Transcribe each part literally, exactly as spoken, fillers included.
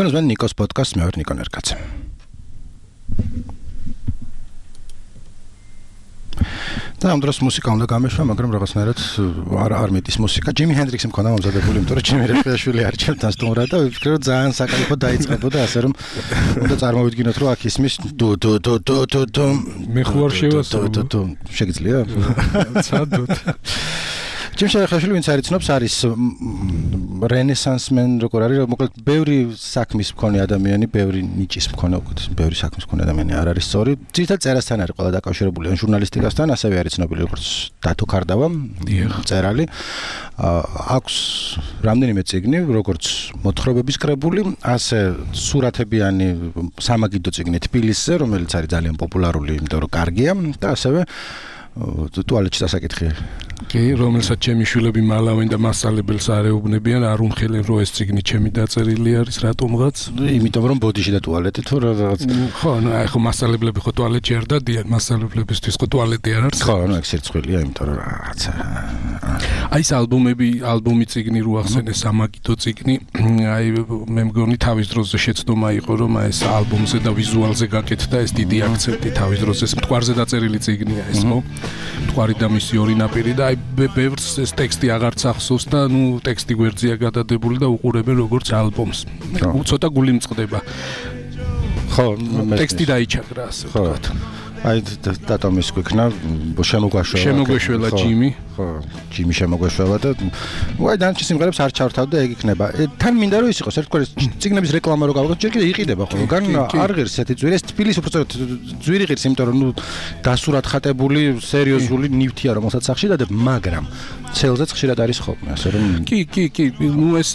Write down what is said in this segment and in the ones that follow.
თქვენ ნიკოს პოდკასტს მე ვარ ნიკო ნერკაცე. და ამ დროს მუსიკა უნდა გამეშვა, მაგრამ რაღაცნაირად არ არ მეტის მუსიკა. ჯიმი ჰენდრიქსი მქონდა მომზადებული, იმიტომ რომ ჯიმი რეპრეშვილი არ ჩემთან სტუმრად და ვფიქრე რომ ძალიან საკალიფო დაიწყებოდა, ასე რომ უნდა წარმოვიდგინოთ რომ აქ ისმის დუ დუ დუ დუ დუ დუ მე ხوار შევასრულო. შეგიძლია? ცადოთ. ჯიმი შეხვეშილი ვინც არ იცნობს არის რენესანსმენ როგორ არის, მოკლედ ბევრი საქმის მქონე ადამიანი, ბევრი ნიჭის მქონე, უკვე ბევრი საქმის მქონე ადამიანი არ არის სწორი. ძირითადად წერასთან არის ყველა დაკავშირებული, ან ჟურნალისტიკასთან, ასევე არის ცნობილი როგორც დათო ქარდავა, მწერალი. აქვს რამდენიმე წიგნი, როგორც მოთხრობების კრებული, ასე სურათებიანი სამაგიდო წიგნი თბილისზე, რომელიც არის ძალიან პოპულარული, იმიტომ რომ კარგია და ასევე ტუალეტში დასაკითხია. კი, რომელსაც ჩემი შვილები მალავენ და მასწავლებელს არეუბნებიან, არ უმხელენ რომ ეს წიგნი ჩემი დაწერილი არის, რატომღაც? იმიტომ რომ ბოდიში და ტუალეტი თუ რაღაც. ხო, ну, აი ხო მასწავლებლები ხო ტუალეტში არ დადიან, მასწავლებლებისთვის ხო ტუალეტი არ არის? ხო, ну, ეგ სირცხვილია, იმიტომ რომ რაღაცა. აი ეს ალბომები, ალბომი წიგნი რო ახსენე, სამაგიდო წიგნი, აი მე მგონი თავის დროზე შეცდომა იყო, რომ აი ეს ალბომზე და ვიზუალზე გაკეთდა ეს დიდი აქცენტი თავის დროზე, ეს მტკვარზე დაწერილი წიგნია ეს, ხო? მტკვარი და მისი ორი ნაპირი და აი ბევრს ეს ტექსტი აღარც ახსოვს და ნუ ტექსტი გვერდზეა გადადებული და უყურებენ როგორც ალბომს. ცოტა გული მწყდება. ხო, ტექსტი დაიჩაგრა ასე ვთქვათ. აი დატომის გვიქნა შემოგვაშველა. შემოგვაშველა ჯიმი. ხო, ჯიმი შემოგვაშველა და ვაი დანარჩენ სიმღერებს არ ჩავთავდა, ეგ იქნება. თან მინდა რომ ის იყოს ერთგვარი წიგნების რეკლამა რო გავიგოთ, ჯერ კიდე იყიდება ხო, გან არ ღირს ესეთი ძვირი, ეს თბილისი უბრალოდ ძვირი ღირს, იმიტომ რომ ნუ დასურად ხატებული, სერიოზული ნივთია, რომელსაც სახში დადებ, მაგრამ ცელზეც ხშირად არის ხოლმე, ასე რომ კი, კი, კი, ნუ ეს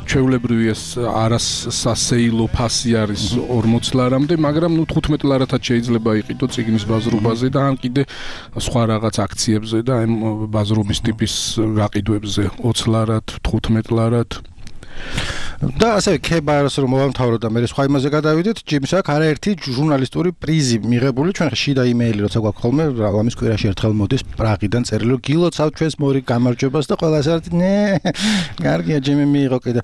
ჩვეულებრივი ეს არასასეილო ფასი არის ორმოც ლარამდე, მაგრამ ნუ თხუთმეტ ლარათაც შეიძლება იყიდო წიგნის ბაზრობაზე და ან კიდე სხვა რაღაც აქციებზე და ამ ბაზრობის ტიპის გაყიდვებზე ოცი ლარად, თხუთმეტ ლარად. და ასევე ქებარს რომ მოვამთავროთ და მე სხვა იმაზე გადავიდეთ, ჯიმის აქ არაერთი ჟურნალისტური პრიზი მიღებული, ჩვენ შიდა იმეილი როცა გვაქვს ხოლმე, ამის კვირაში ერთხელ მოდის პრაღიდან წერილი, რომ გილოცავ ჩვენს მორი გამარჯვებას და ყველა ასე ნე, კარგია ჯიმი მიიღო კიდე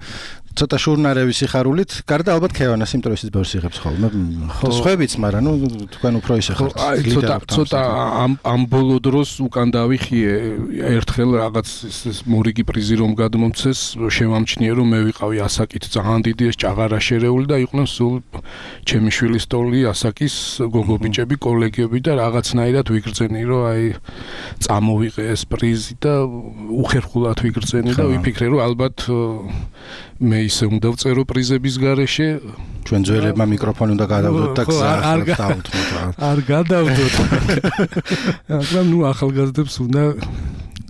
ცოტა შურნარების სიხარულით, გარდა ალბათ ქევანას, იმიტომ რომ ისიც ბევრს იღებს ხოლმე. სხვაებიც, მაგრამ ნუ თქვენ უფრო ისე ხართ. აი ცოტა ცოტა ამ ამ ბოლო დროს უკან დავიხიე ერთხელ რაღაც ეს მორიგი პრიზი რომ გადმომცეს, შევამჩნიე რომ მე ვიყავი ასაკით ძალიან დიდი ეს ჭაღარა შერეული და იყვნენ სულ ჩემი შვილის ტოლი, ასაკის გოგობიჭები, კოლეგები და რაღაცნაირად ვიგრძენი რომ აი წამოვიღე ეს პრიზი და უხერხულად ვიგრძენი და ვიფიქრე რომ ალბათ მე ისე უნდა ვწერო პრიზების გარეშე, ჩვენ ძველებმა მიკროფონი უნდა გადავდოთ და გზა დავუთმოთ. არ გადავდოთ. მაგრამ ნუ ახალგაზრდებს უნდა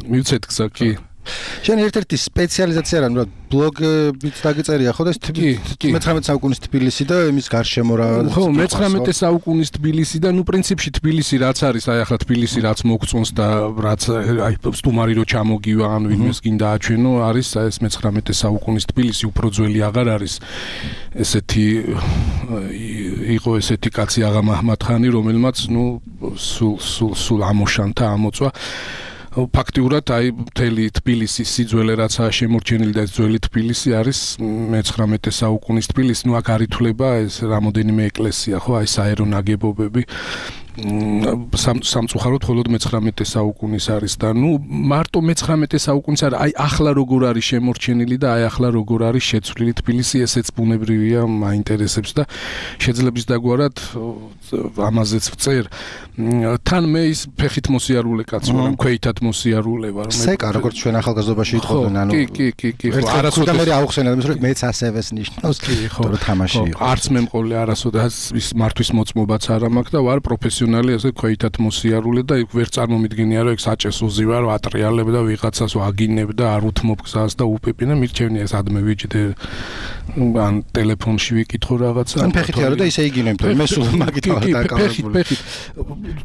მივცეთ გზა კი. შენ ერთ-ერთი სპეციალიზაცია რა, ნუ ბლოგებით დაგეწერია ხო და ეს მეცხრამეტე საუკუნის თბილისი და იმის გარშემო რა. ხო, მეცხრამეტე საუკუნის თბილისი და ნუ პრინციპში თბილისი რაც არის, აი ახლა თბილისი რაც მოგწონს და რაც აი სტუმარი რო ჩამოგივა ან ვინმეს გინდა აჩვენო, არის ეს მეცხრამეტე საუკუნის თბილისი, უფრო ძველი აღარ არის. ესეთი იყო ესეთი კაცი აღა მაჰმად-ხანი, რომელმაც ნუ სულ სულ სულ ამოშანთა, ამოწვა. ფაქტიურად აი მთელი თბილისის სიძველე რაცაა შემორჩენილი და ეს ძველი თბილისი არის მეცხრამეტე საუკუნის თბილისი, ნუ აქ არ ითვლება ეს რამოდენიმე ეკლესია, ხო, აი საერო ნაგებობები. სამწუხაროდ მხოლოდ მეცხრამეტე საუკუნის არის და ნუ მარტო მეცხრამეტე საუკუნის არის, აი ახლა როგორ არის შემორჩენილი და აი ახლა როგორ არის შეცვლილი თბილისი, ესეც ბუნებრივია, მაინტერესებს და შეძლებს დაგვარად ამაზეც ვწერ. თან მე ის ფეხით მოსიარულე კაცი ვარ, ქვეითად მოსიარულე ვარ. სეკა როგორც ჩვენ ახალგაზრდობაში იტყოდნენ, ანუ კი, კი, კი, კი, ხო, არასოდეს მე ავხსენე, რომ მეც ასევეს ნიშნავს, კი, ხო, თამაში იყო. არც მე მყოლე არასოდეს ის მართვის მოწმობაც არ მაქვს და ვარ პროფესიონალი ასე ქვეითად მოსიარულე და იქ ვერ წარმომიდგენია რომ ეგ საჭესოზე ვარ, ატრიალებ და ვიღაცას ვაგინებ და არ უთმობ გზას და უპეპინე მირჩევნია ეს ადმე ვიჯდე ან ტელეფონში ვიკითხო რაღაცა. ან ფეხით არა და ისე იგინებ, მე სულ მაგით ვარ დაკავებული. ფეხით.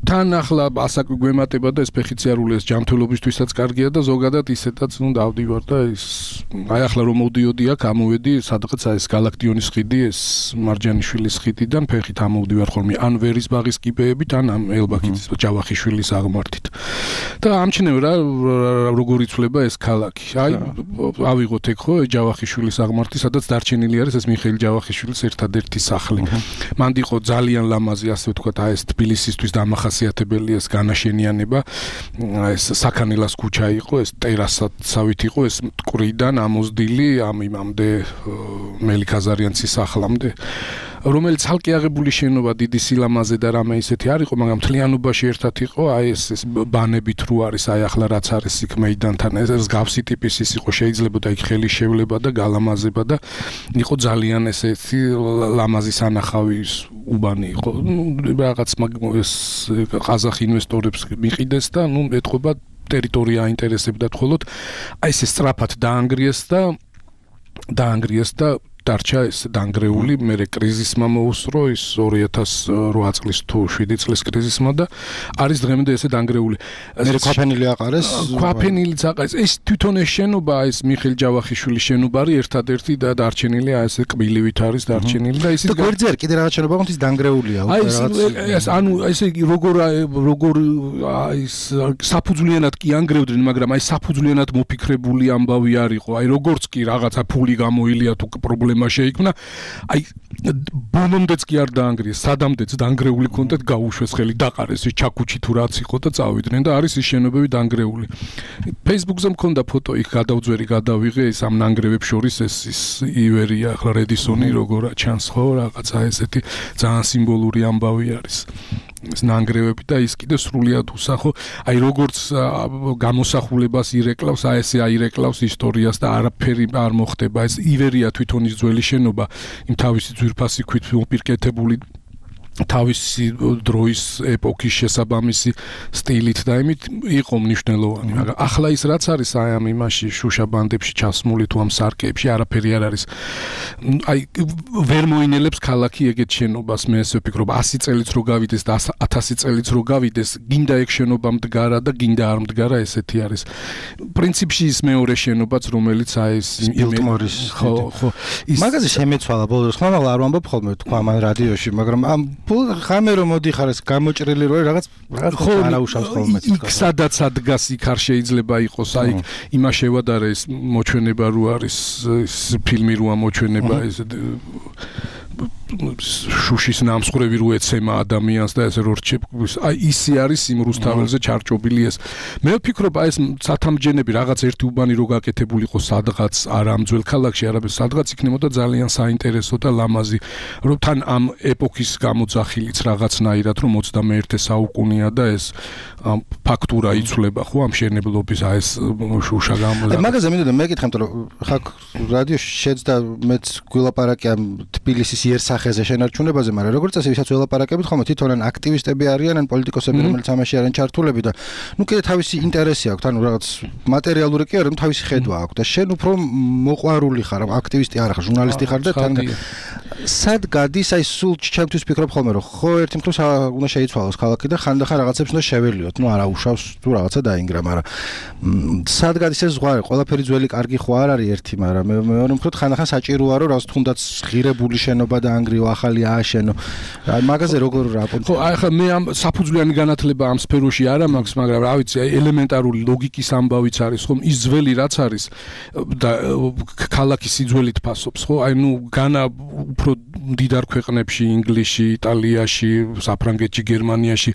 თან ახლა ასაკი გვემატება და ეს ფეხიციარული ეს ჯანმრთელობისთვისაც კარგია და ზოგადად ისედაც ნუ დავდივარ და ის აი ახლა რომ მოვდიოდი აქ, ამოვედი სადღაც აი ეს გალაქტიონის ხიდი, ეს მარჯანიშვილის ხიდიდან ფეხით ამოვდივარ ხოლმე ან ვერის ბაღის კიბეები აღმართებით ან ამ ელბაქის ჯავახიშვილის აღმართით. და ამჩნევ რა როგორ იცვლება ეს ქალაქი. აი ავიღოთ ეგ ხო ჯავახიშვილის აღმართი, სადაც დარჩენილი არის ეს მიხეილ ჯავახიშვილის ერთადერთი სახლი. მანდ იყო ძალიან ლამაზი, ასე ვთქვათ, აი ეს თბილისისთვის დამახასიათებელი ეს განაშენიანება. ეს საქანელას ქუჩა იყო, ეს ტერასაცავით იყო, ეს მტკვრიდან ამოზდილი ამ იმამდე მელიქაზარიანცის სახლამდე, რომელიც ცალკე აღებული შენობა დიდი სილამაზე და რამე ისეთი არ იყო, მაგრამ მთლიანობაში ერთად იყო, აი ეს ეს ბანებით რო არის, აი ახლა რაც არის იქ მეიდანთან, ეს მსგავსი ტიპის ის იყო, შეიძლება და იქ ხელი შევლება და გალამაზება და იყო ძალიან ესეთი ლამაზი სანახავი უბანი იყო. რაღაც ეს ყაზახი ინვესტორებს მიყიდეს და ნუ ეთყობა ტერიტორია აინტერესებდათ მხოლოდ აი ეს სწრაფად დაანგრიეს და დაანგრიეს და დარჩა ეს დანგრეული, მერე კრიზისმა მოუსწრო ის ორი ათას რვა წლის თუ შვიდი წლის კრიზისმა და არის დღემდე ესე დანგრეული. მერე ქვაფენილი აყარეს. ქვაფენილიც აყარეს. ეს თვითონ ეს შენობა, ეს მიხეილ ჯავახიშვილის შენობა არის ერთადერთი და დარჩენილი, აი ესე კბილივით არის დარჩენილი და ისიც და გვერდზე არ კიდე რაღაც შენობა ყავს ის დანგრეულია უკვე რაღაც. ეს ანუ ესე იგი როგორ როგორ აი ეს საფუძვლიანად კი ანგრევდნენ, მაგრამ აი საფუძვლიანად მოფიქრებული ამბავი არ იყო. აი როგორც კი რაღაცა ფული გამოილია თუ პრობლემა შეიქმნა, აი ბონომდეც კი არ დაანგრიეს, სადამდეც დანგრეული კონტენტ გაუშვეს ხელი, დაყარეს ის ჩაკუჩი თუ რაც იყო და წავიდნენ და არის ის შენობები დანგრეული. Facebook-ზე მქონდა ფოტო, იქ გადავძვერი, გადავიღე ის ამ ნანგრევებს შორის ეს ის ივერია, ახლა რედისონი როგორ ჩანს ხო, რაღაცა ესეთი ძალიან სიმბოლური ამბავი არის. ეს ნანგრევები და ის კიდე სრულიად უსახო, აი როგორც გამოსახულებას ირეკლავს, აი ესე აირეკლავს ისტორიას და არაფერი არ მოხდება. ეს ივერია თვითონ ის ძველი შენობა, იმ თავისი ძვირფასი ქვით მოპირკეთებული თავისი დროის ეპოქის შესაბამისი სტილით და იმით იყო მნიშვნელოვანი, მაგრამ ახლა ის რაც არის აი ამ იმაში შუშაბანდებში ჩასმული თუ ამ სარკეებში არაფერი არ არის. აი ვერ მოინელებს ქალაქი ეგეთ შენობას, მე ესე ვფიქრობ, ასი წელიც რო გავიდეს და ათასი წელიც რო გავიდეს, გინდა ეგ შენობა მდგარა და გინდა არ მდგარა, ესეთი არის. პრინციპში ის მეორე შენობაც, რომელიც აი ეს ბილტმორის ხო ხო ის მაგაზე შემეცვალა ბოლოს, ხომ არ ვამბობ ხოლმე თქვა ამ რადიოში, მაგრამ ამ ხამე რომ მოდიხარ ეს გამოჭრილი რო რაღაც რაღაც არაუშავს ხოლმე იქ სადაც ადგას იქ არ შეიძლება იყოს, აი იმა შევადარე ეს მოჩვენება რო არის ეს ფილმი როა მოჩვენება ეს შუშის ნამსხვრევი რო ეცემა ადამიანს და ესე რო რჩებს, აი ისი არის იმ რუსთაველზე ჩარჭობილი ეს. მე ვფიქრობ აი ეს სათამჯენები რაღაც ერთი უბანი რო გაკეთებულიყო სადღაც არა ამ ძველ ქალაქში, არამედ სადღაც იქნებოდა ძალიან საინტერესო და ლამაზი, რომ თან ამ ეპოქის გამოძახილიც რაღაცნაირად რომ ოცდამეერთე საუკუნეა და ეს ფაქტურა იცვლება ხო ამ შენებლობის აი ეს შუშა გამო. მაგაზე მინდოდა მეკითხე, რომ ხა რადიოში შეძდა მეც გულაპარაკი ამ თბილისის იერსახეზე შენარჩუნებაზე, მაგრამ როგორც წესი ვისაც ველაპარაკებით, ხომ თვითონ ან აქტივისტები არიან, ან პოლიტიკოსები, რომელიც ამაში არიან ჩართულები და ნუ კიდე თავისი ინტერესი აქვს, ანუ რაღაც მატერიალური კი არა, თავისი ხედვა აქვს და შენ უფრო მოყვარული ხარ, აქტივისტი არ ხარ, ჟურნალისტი ხარ და თან სად გადის აი სულ ჩემთვის ვფიქრობ ხოლმე, რომ ხო ერთი მხრივ უნდა შეიცვალოს ქალაქი და ხანდახან რაღაცებს უნდა შეველიოთ, ნუ არა უშავს თუ რაღაცა დაინგრა, მაგრამ სად გადის ეს ზღვარი, ყველაფერი ძველი კარგი ხო არ არის ერთი, მაგრამ მეორე მხრივ ხანდახან საჭიროა რომ რაღაც თუნდაც ღირებული შენობა და ანგრიო ახალი ააშენო. მაგაზე როგორ რაპორტი? ხო, აი ხა მე ამ საფუძვლიანი განათლება ამ სფეროში არა მაქვს, მაგრამ რა ვიცი, ელემენტარული ლოგიკის ამბავიც არის, ხომ ის ძველი რაც არის და ქალაქის სიძველით ფასობს, ხო? აი ნუ განა უფრო მდიდარ ქვეყნებში, ინგლისში, იტალიაში, საფრანგეთში, გერმანიაში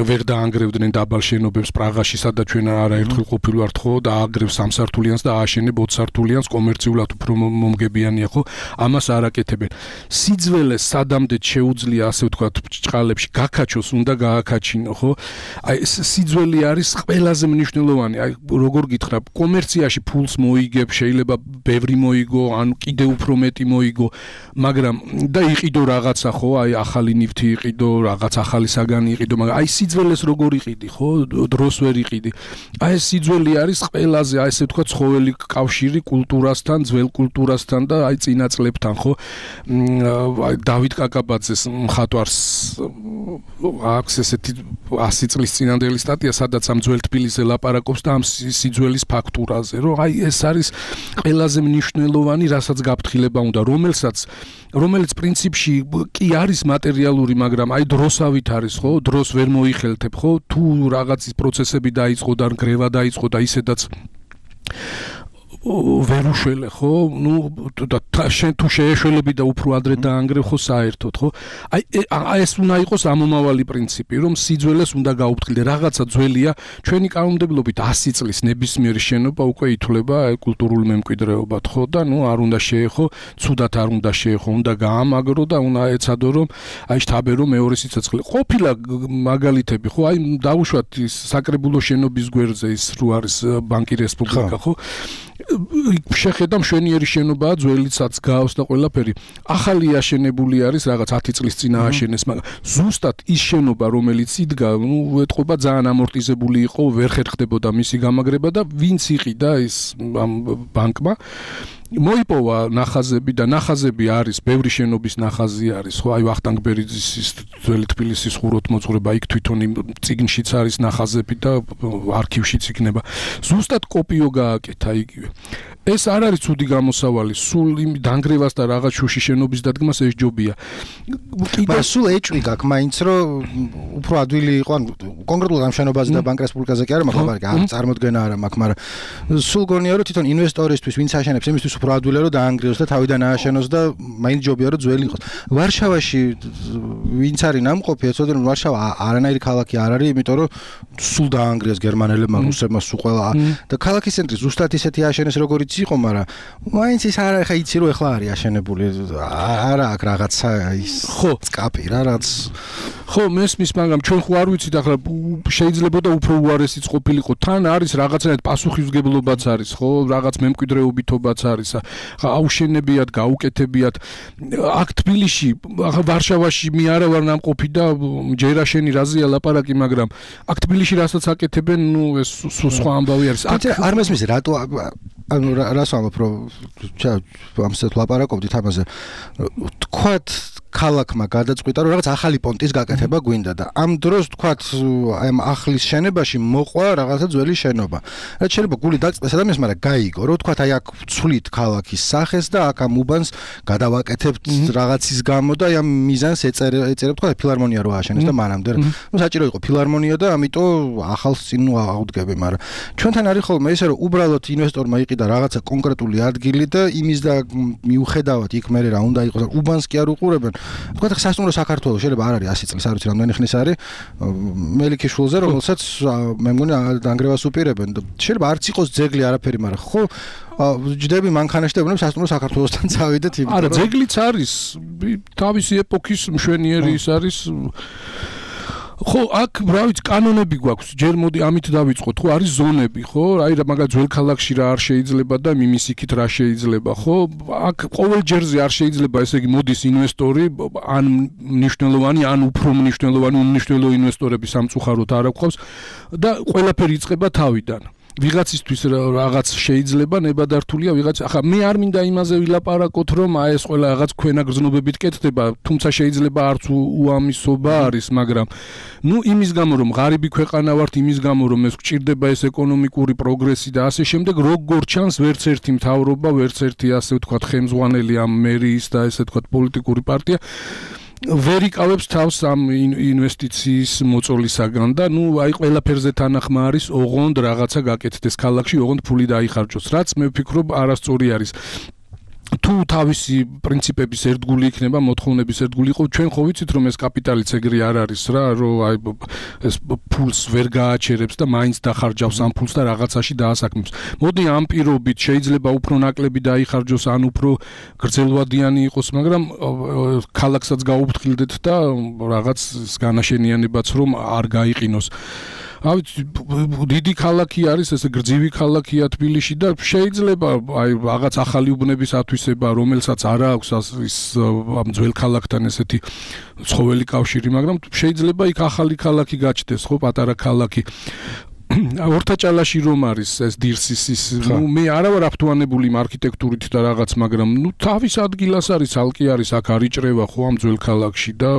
ვერ დაანგრევდნენ დაბალ შენობებს, პრაღაში, სადაც ჩვენ არაერთხელ ყოფილვართ, ხო, და ააგრევს სამსართულიანს და ააშენებ ოცსართულიანს, კომერციულად უფრო მომგებიანია, ხო? ამას არ აკეთებენ. სიძველეს სადამდეც შეუძლია, ასე ვთქვათ, ჭყალებში გაკაჩოს, უნდა გააკაჩინო, ხო? აი ეს სიძველი არის ყველაზე მნიშვნელოვანი. აი როგორ გითხრა, კომერციაში ფულს მოიგებ, შეიძლება ბევრი მოიგო, ან კიდე უფრო მეტი მოიგო, მაგრამ და იყიდო რაღაცა, ხო? აი ახალი ნივთი იყიდო, რაღაც ახალი საგანი იყიდო, მაგრამ აი სიძველეს როგორ იყიდი, ხო? დროს ვერ იყიდი. აი ეს სიძველი არის ყველაზე, აი ესე ვთქვათ, ცხოველი კავშირი კულტურასთან, ძველ კულტურასთან და აი წინა წლებთან, ხო? აი დავით კაკაბაძეს მხატვარს აქვს ესეთი ასი წლის წინანდელი სტატია, სადაც ამ ძველ თბილისზე ლაპარაკობს და ამ სიძველის ფაქტურაზე, რომ აი ეს არის ყველაზე მნიშვნელოვანი, რასაც გაფრთხილება უნდა, რომელსაც რომელსაც რომელიც პრინციპში კი არის მატერიალური, მაგრამ აი დროსავით არის, ხო? დროს ვერ მოიხელთებ, ხო? თუ რაღაცის პროცესები დაიწყო და გრევა დაიწყო და ისედაც ვერ უშველე, ხო? ნუ და შენ თუ შეეშველები და უფრო ადრე დაანგრევ, ხო, საერთოდ, ხო? აი ეს უნდა იყოს ამომავალი პრინციპი, რომ სიძველეს უნდა გაუფრთხილდე. რაღაცა ძველია, ჩვენი კანონმდებლობით ასი წლის ნებისმიერი შენობა უკვე ითვლება კულტურულ მემკვიდრეობად, ხო? და ნუ არ უნდა შეეხო, ცუდად არ უნდა შეეხო, უნდა გაამაგრო და უნდა ეცადო, რომ აი შთაბერო მეორე სიცოცხლე. ყოფილა მაგალითები, ხო? აი დავუშვათ ის საკრებულო შენობის გვერდზე ის რო არის ბანკი რესპუბლიკა, ხო? შეხედა მშვენიერი შენობაა, ძველიცაც გავს და ყველაფერი. ახალი აშენებული არის, რაღაც ათი წლის წინ ააშენეს, მაგრამ ზუსტად ის შენობა, რომელიც იდგა, ნუ ეთყობა ძალიან ამორტიზებული იყო, ვერ ხერხდებოდა მისი გამაგრება და ვინც იყიდა ის ამ ბანკმა მოიპოვა ნახაზები და ნახაზები არის, ბევრი შენობის ნახაზი არის, ხო, აი ვახტანგ ბერიძის ძველი თბილისის ხუროთმოძღვრება, იქ თვითონ იმ წიგნშიც არის ნახაზები და არქივშიც იქნება. ზუსტად კოპიო გააკეთა იგივე. ეს არ არის ცუდი გამოსავალი, სულ იმ დანგრევას და რაღაც შუში შენობის დადგმას ეს ჯობია. მაგრამ სულ ეჭვი გაქვს, მაინც რომ უფრო ადვილი იყო, ან კონკრეტულად ამ შენობაზე და ბანკ რესპუბლიკაზე კი არა, მაგრამ არ წარმოდგენა არა მაქვს, მაგრამ სულ გონია რომ თვითონ ინვესტორისთვის, ვინც აშენებს, იმისთვის უფრო ადვილია რომ დაანგრიოს და თავიდან ააშენოს და მაინც ჯობია რომ ძველი იყოს. ვარშავაში ვინც არის ნამყოფი, ეცოდნენ რომ ვარშავა არანაირი ქალაქი არ არის, იმიტომ რომ სულ დაანგრიეს გერმანელებმა, რუსებმა, სულ ყველა და ქალაქის ცენტრი ზუსტად ისეთი ააშენეს როგორიც იყო, მაგრამ მაინც ის არა, ხა იცი რომ ეხლა არის აშენებული, არა აქ რაღაცა ის ხო წკაპი რა რაც ხო მესმის, მაგრამ ჩვენ ხო არ ვიცით ახლა შეიძლება და უფრო უარესიც ყოფილიყო, თან არის რაღაცნაირად პასუხისმგებლობაც არის, ხო, რაღაც მემკვიდრეობითობაც არის, ხა აუშენებიათ, გაუკეთებიათ. აქ თბილისში, ახლა ვარშავაში მე არა ვარ ნამყოფი და ჯერა შენი რაზეა ლაპარაკი, მაგრამ აქ თბილისში რასაც აკეთებენ, ნუ ეს სხვა ამბავი არის. აქ არ მესმის რატო ანუ რას ვამბობ, რომ ამასეთ ლაპარაკობდით ამაზე. თქვათ ქალაქმა გადაწყვიტა რომ რაღაც ახალი პონტის გაკეთება გვინდა და ამ დროს თქვათ აი ახლის შენებაში მოყვა რაღაცა ძველი შენობა. რაც შეიძლება გული დაწყვეს ადამიანს, მაგრამ გაიგო რომ თქვათ აი აქ ვცვლით ქალაქის სახეს და აქ ამ უბანს გადავაკეთებთ რაღაცის გამო და აი ამ მიზანს ეწერებ თქვათ ფილარმონია რო ააშენეს და მანამდე ნუ საჭირო იყო ფილარმონია და ამიტომ ახალს წინ აუდგები, მაგრამ ჩვენთან არის ხოლმე ისე რომ უბრალოდ ინვესტორმა იყიდა რაღაცა კონკრეტული ადგილი და იმის და მიუხედავად იქ მე რა უნდა იყოს უბანს კი არ უყურებენ. თქვათ სასტუმრო საქართველოს შეიძლება არ არის ასი წლის, არ ვიცი რამდენი ხნის არის მელიქიშვილზე, რომელსაც მე მგონი დანგრევას უპირებენ და შეიძლება არც იყოს ძეგლი არაფერი, მაგრამ ხო ჯდები მანქანაში და ვუყურებ სასტუმრო საქართველოსთან წავიდეთ იმიტომ არა ძეგლიც არის თავისი ეპოქის მშვენიერი ის არის ხო აქ რა ვიცი კანონები გვაქვს ჯერ მოდი ამით დავიწყოთ ხო არის ზონები ხო აი რა მაგალითად ძველ ქალაქში რა არ შეიძლება და მიმის იქით რა შეიძლება ხო აქ ყოველ ჯერზე არ შეიძლება ესე იგი მოდის ინვესტორი ან მნიშვნელოვანი ან უფრო მნიშვნელოვანი უნიშნელო ინვესტორები სამწუხაროდ არ აქვს და ყველაფერი იწყება თავიდან ვიღაცისთვის რაღაც შეიძლება ნებადართულია ვიღაც ახლა მე არ მინდა იმაზე ვილაპარაკოთ რომ აი ეს ყველა რაღაც ქვენა გრძნობებით კეთდება თუმცა შეიძლება არც უამისობა არის მაგრამ ნუ იმის გამო რომ ღარიბი ქვეყანა ვართ იმის გამო რომ ეს გჭირდება ეს ეკონომიკური პროგრესი და ასე შემდეგ როგორ ჩანს ვერც ერთი მთავრობა ვერც ერთი ასე ვთქვათ ხელმძღვანელი ამ მერიის და ესე ვთქვათ პოლიტიკური პარტია ვერ იკავებს თავს ამ ინვესტიციის მოწოლისაგან და ნუ აი ყველაფერზე თანახმა არის ოღონდ რაღაცა გაკეთდეს ქალაქში ოღონდ ფული დაიხარჯოს რაც მე ვფიქრობ არასწორი არის თუ თავისი პრინციპების ერთგული იქნება მოთხოვნების ერთგული იყო ჩვენ ხო ვიცით რომ ეს კაპიტალიც ეგრე არ არის რა რომ აი ეს ფულს ვერ გააჩერებს და მაინც დახარჯავს ამ ფულს და რაღაცაში დაასაქმებს მოდი ამ პირობით შეიძლება უფრო ნაკლები დაიხარჯოს ან უფრო გრძელვადიანი იყოს მაგრამ ქალაქსაც გაუფრთხილდეთ და რაღაც განაშენიანებაც რომ არ გაიყინოს ავი დიდი ქალაქი არის ესე გრძივი ქალაქია თბილისში და შეიძლება აი რაღაც ახალი უბნების ათვისება რომელსაც არ აქვს ის ამ ძველ ქალაქთან ესეთი ცხოველი კავშირი მაგრამ შეიძლება იქ ახალი ქალაქი გაჩნდეს ხო პატარა ქალაქი ორთაჭალაში რომ არის ეს დირსისის ნუ მე არა ვარ აფთუანებული იმ არქიტექტურით და რაღაც მაგრამ ნუ თავის ადგილას არის ალკი არის აქ არიჭრევა ხო ამ ძველ ქალაქში და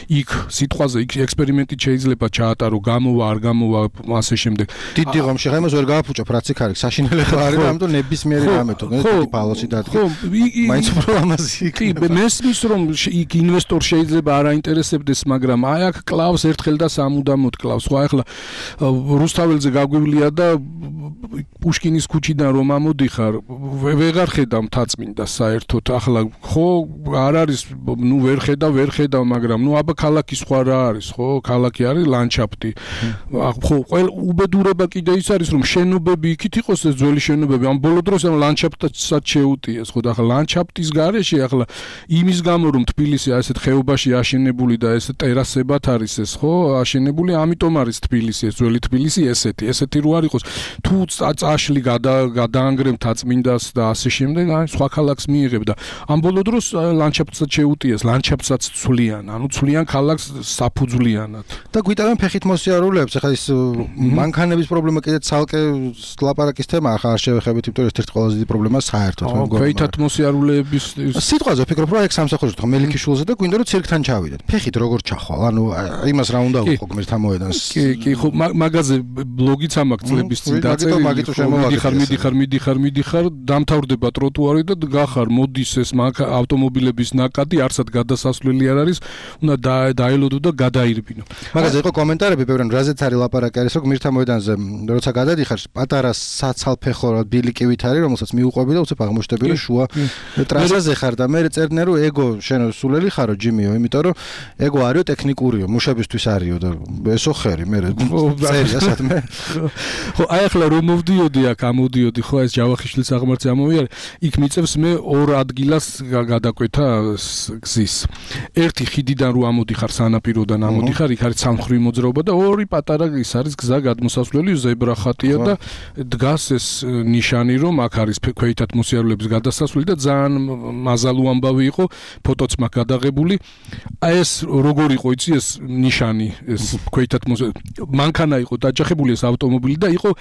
იქ სიტყვაზე იქ ექსპერიმენტით შეიძლება ჩაატარო გამოვა არ გამოვა ასე შემდეგ დიდი ღომში ხა იმას ვერ გააფუჭებ რაც იქ არის საშინელება არის და ამიტომ ნებისმიერი რამე თუ დიდი ბალოსი დადგე მაინც უფრო ამაზე კი მესმის რომ იქ ინვესტორ შეიძლება არ აინტერესებდეს მაგრამ აი აქ კლავს ერთხელ და სამუდამოდ კლავს ხო ახლა რუსთაველზე გაგვივლია და პუშკინის ქუჩიდან რომ ამოდიხარ ვეღარ ხედავ მთაწმინდა საერთოდ ახლა ხო არ არის ნუ ვერ ხედავ ვერ ხედავ მაგრამ ნუ აბა ქალაქი სხვა რა არის ხო ქალაქი არის ლანდშაფტი ხო ყველა უბედურება კიდე ის არის რომ შენობები იქით იყოს ეს ძველი შენობები ამ ბოლო დროს ამ ლანდშაფტსაც შეუტიეს ხო და ახლა ლანდშაფტის გარეშე ახლა იმის გამო რომ თბილისი ასეთ ხეობაში აშენებული და ეს ტერასებად არის ეს ხო აშენებული ამიტომ არის თბილისი ეს ძველი თბილისი ესეთი ესეთი რო არ იყოს თუ წაშლი გადაანგრემ თაწმინდას და ასე შემდეგ აი სხვა ქალაქს მიიღებ და ამ ბოლო დროს ლანდშაფტსაც შეუტიეს ლანდშაფტსაც ცვლიან ანუ ცვლიან ქალაქს საფუძვლიანად და გვიტევენ ფეხით მოსიარულეებს ახლა ის მანქანების პრობლემა კიდე ცალკე ლაპარაკის თემა ახლა არ შევეხებით იმიტომ რომ ერთ-ერთი ყველაზე დიდი პრობლემაა საერთოდ მეგონა ფეხით მოსიარულეების სიტყვაზე ვფიქრობ რომ ეგ სამსახურში თქო მელიქიშვილზე და გვინდა რომ ცირკთან ჩავიდეთ ფეხით როგორ ჩახვალ ანუ იმას რა უნდა უყო გმირთა მოედანს კი კი ხო მაგაზე ბლოგიც ამაქვს წლების წინ დაწერილი მიდიხარ მიდიხარ მიდიხარ მიდიხარ დამთავრდება ტროტუარი და გახარ მოდის ეს ავტომობილების ნაკადი არსად გადასასვლელი არ არის უნდა დაელოდო და გადაირბინო მაგაზე იყო კომენტარები ბევრად რაზეც არის ლაპარაკი არის რომ გმირთა მოედანზე როცა გადადიხარ პატარა საცალფეხო ბილიკივით არის რომელსაც მიუყვები და უცებ აღმოჩნდები რომ შუა ტრასაზე ხარ და მე წერდნენ რომ ეგო შენ სულელი ხარო ჯიმიო იმიტომ რომ ეგო არისო ტექნიკურიო მუშებისთვის არისო და ესო ხერი მე წერია სადმე ხო აი ახლა რომ მოვდიოდი აქ ამოდიოდი ხო ეს ჯავახიშვილის აღმართზე ამოვიარე იქ მიწევს მე ორ ადგილას გადაკვეთა გზის ერთი ხიდიდან რო ამოდიხარ სანაპიროდან ამოდიხარ იქ არის სამხრივი მოძრაობა და ორი პატარა ის არის გზა გადმოსასვლელი ზებრა ხატია და დგას ეს ნიშანი რომ აქ არის ქვეითად მოსიარულეების გადასასვლელი და ძალიან მაზალუ ამბავი იყო ფოტოც მაქვს გადაღებული აი ეს როგორ იყო იცი ეს ნიშანი ეს ქვეითად მანქანა იყო დაჯახებული ეს ავტომობილი და იყო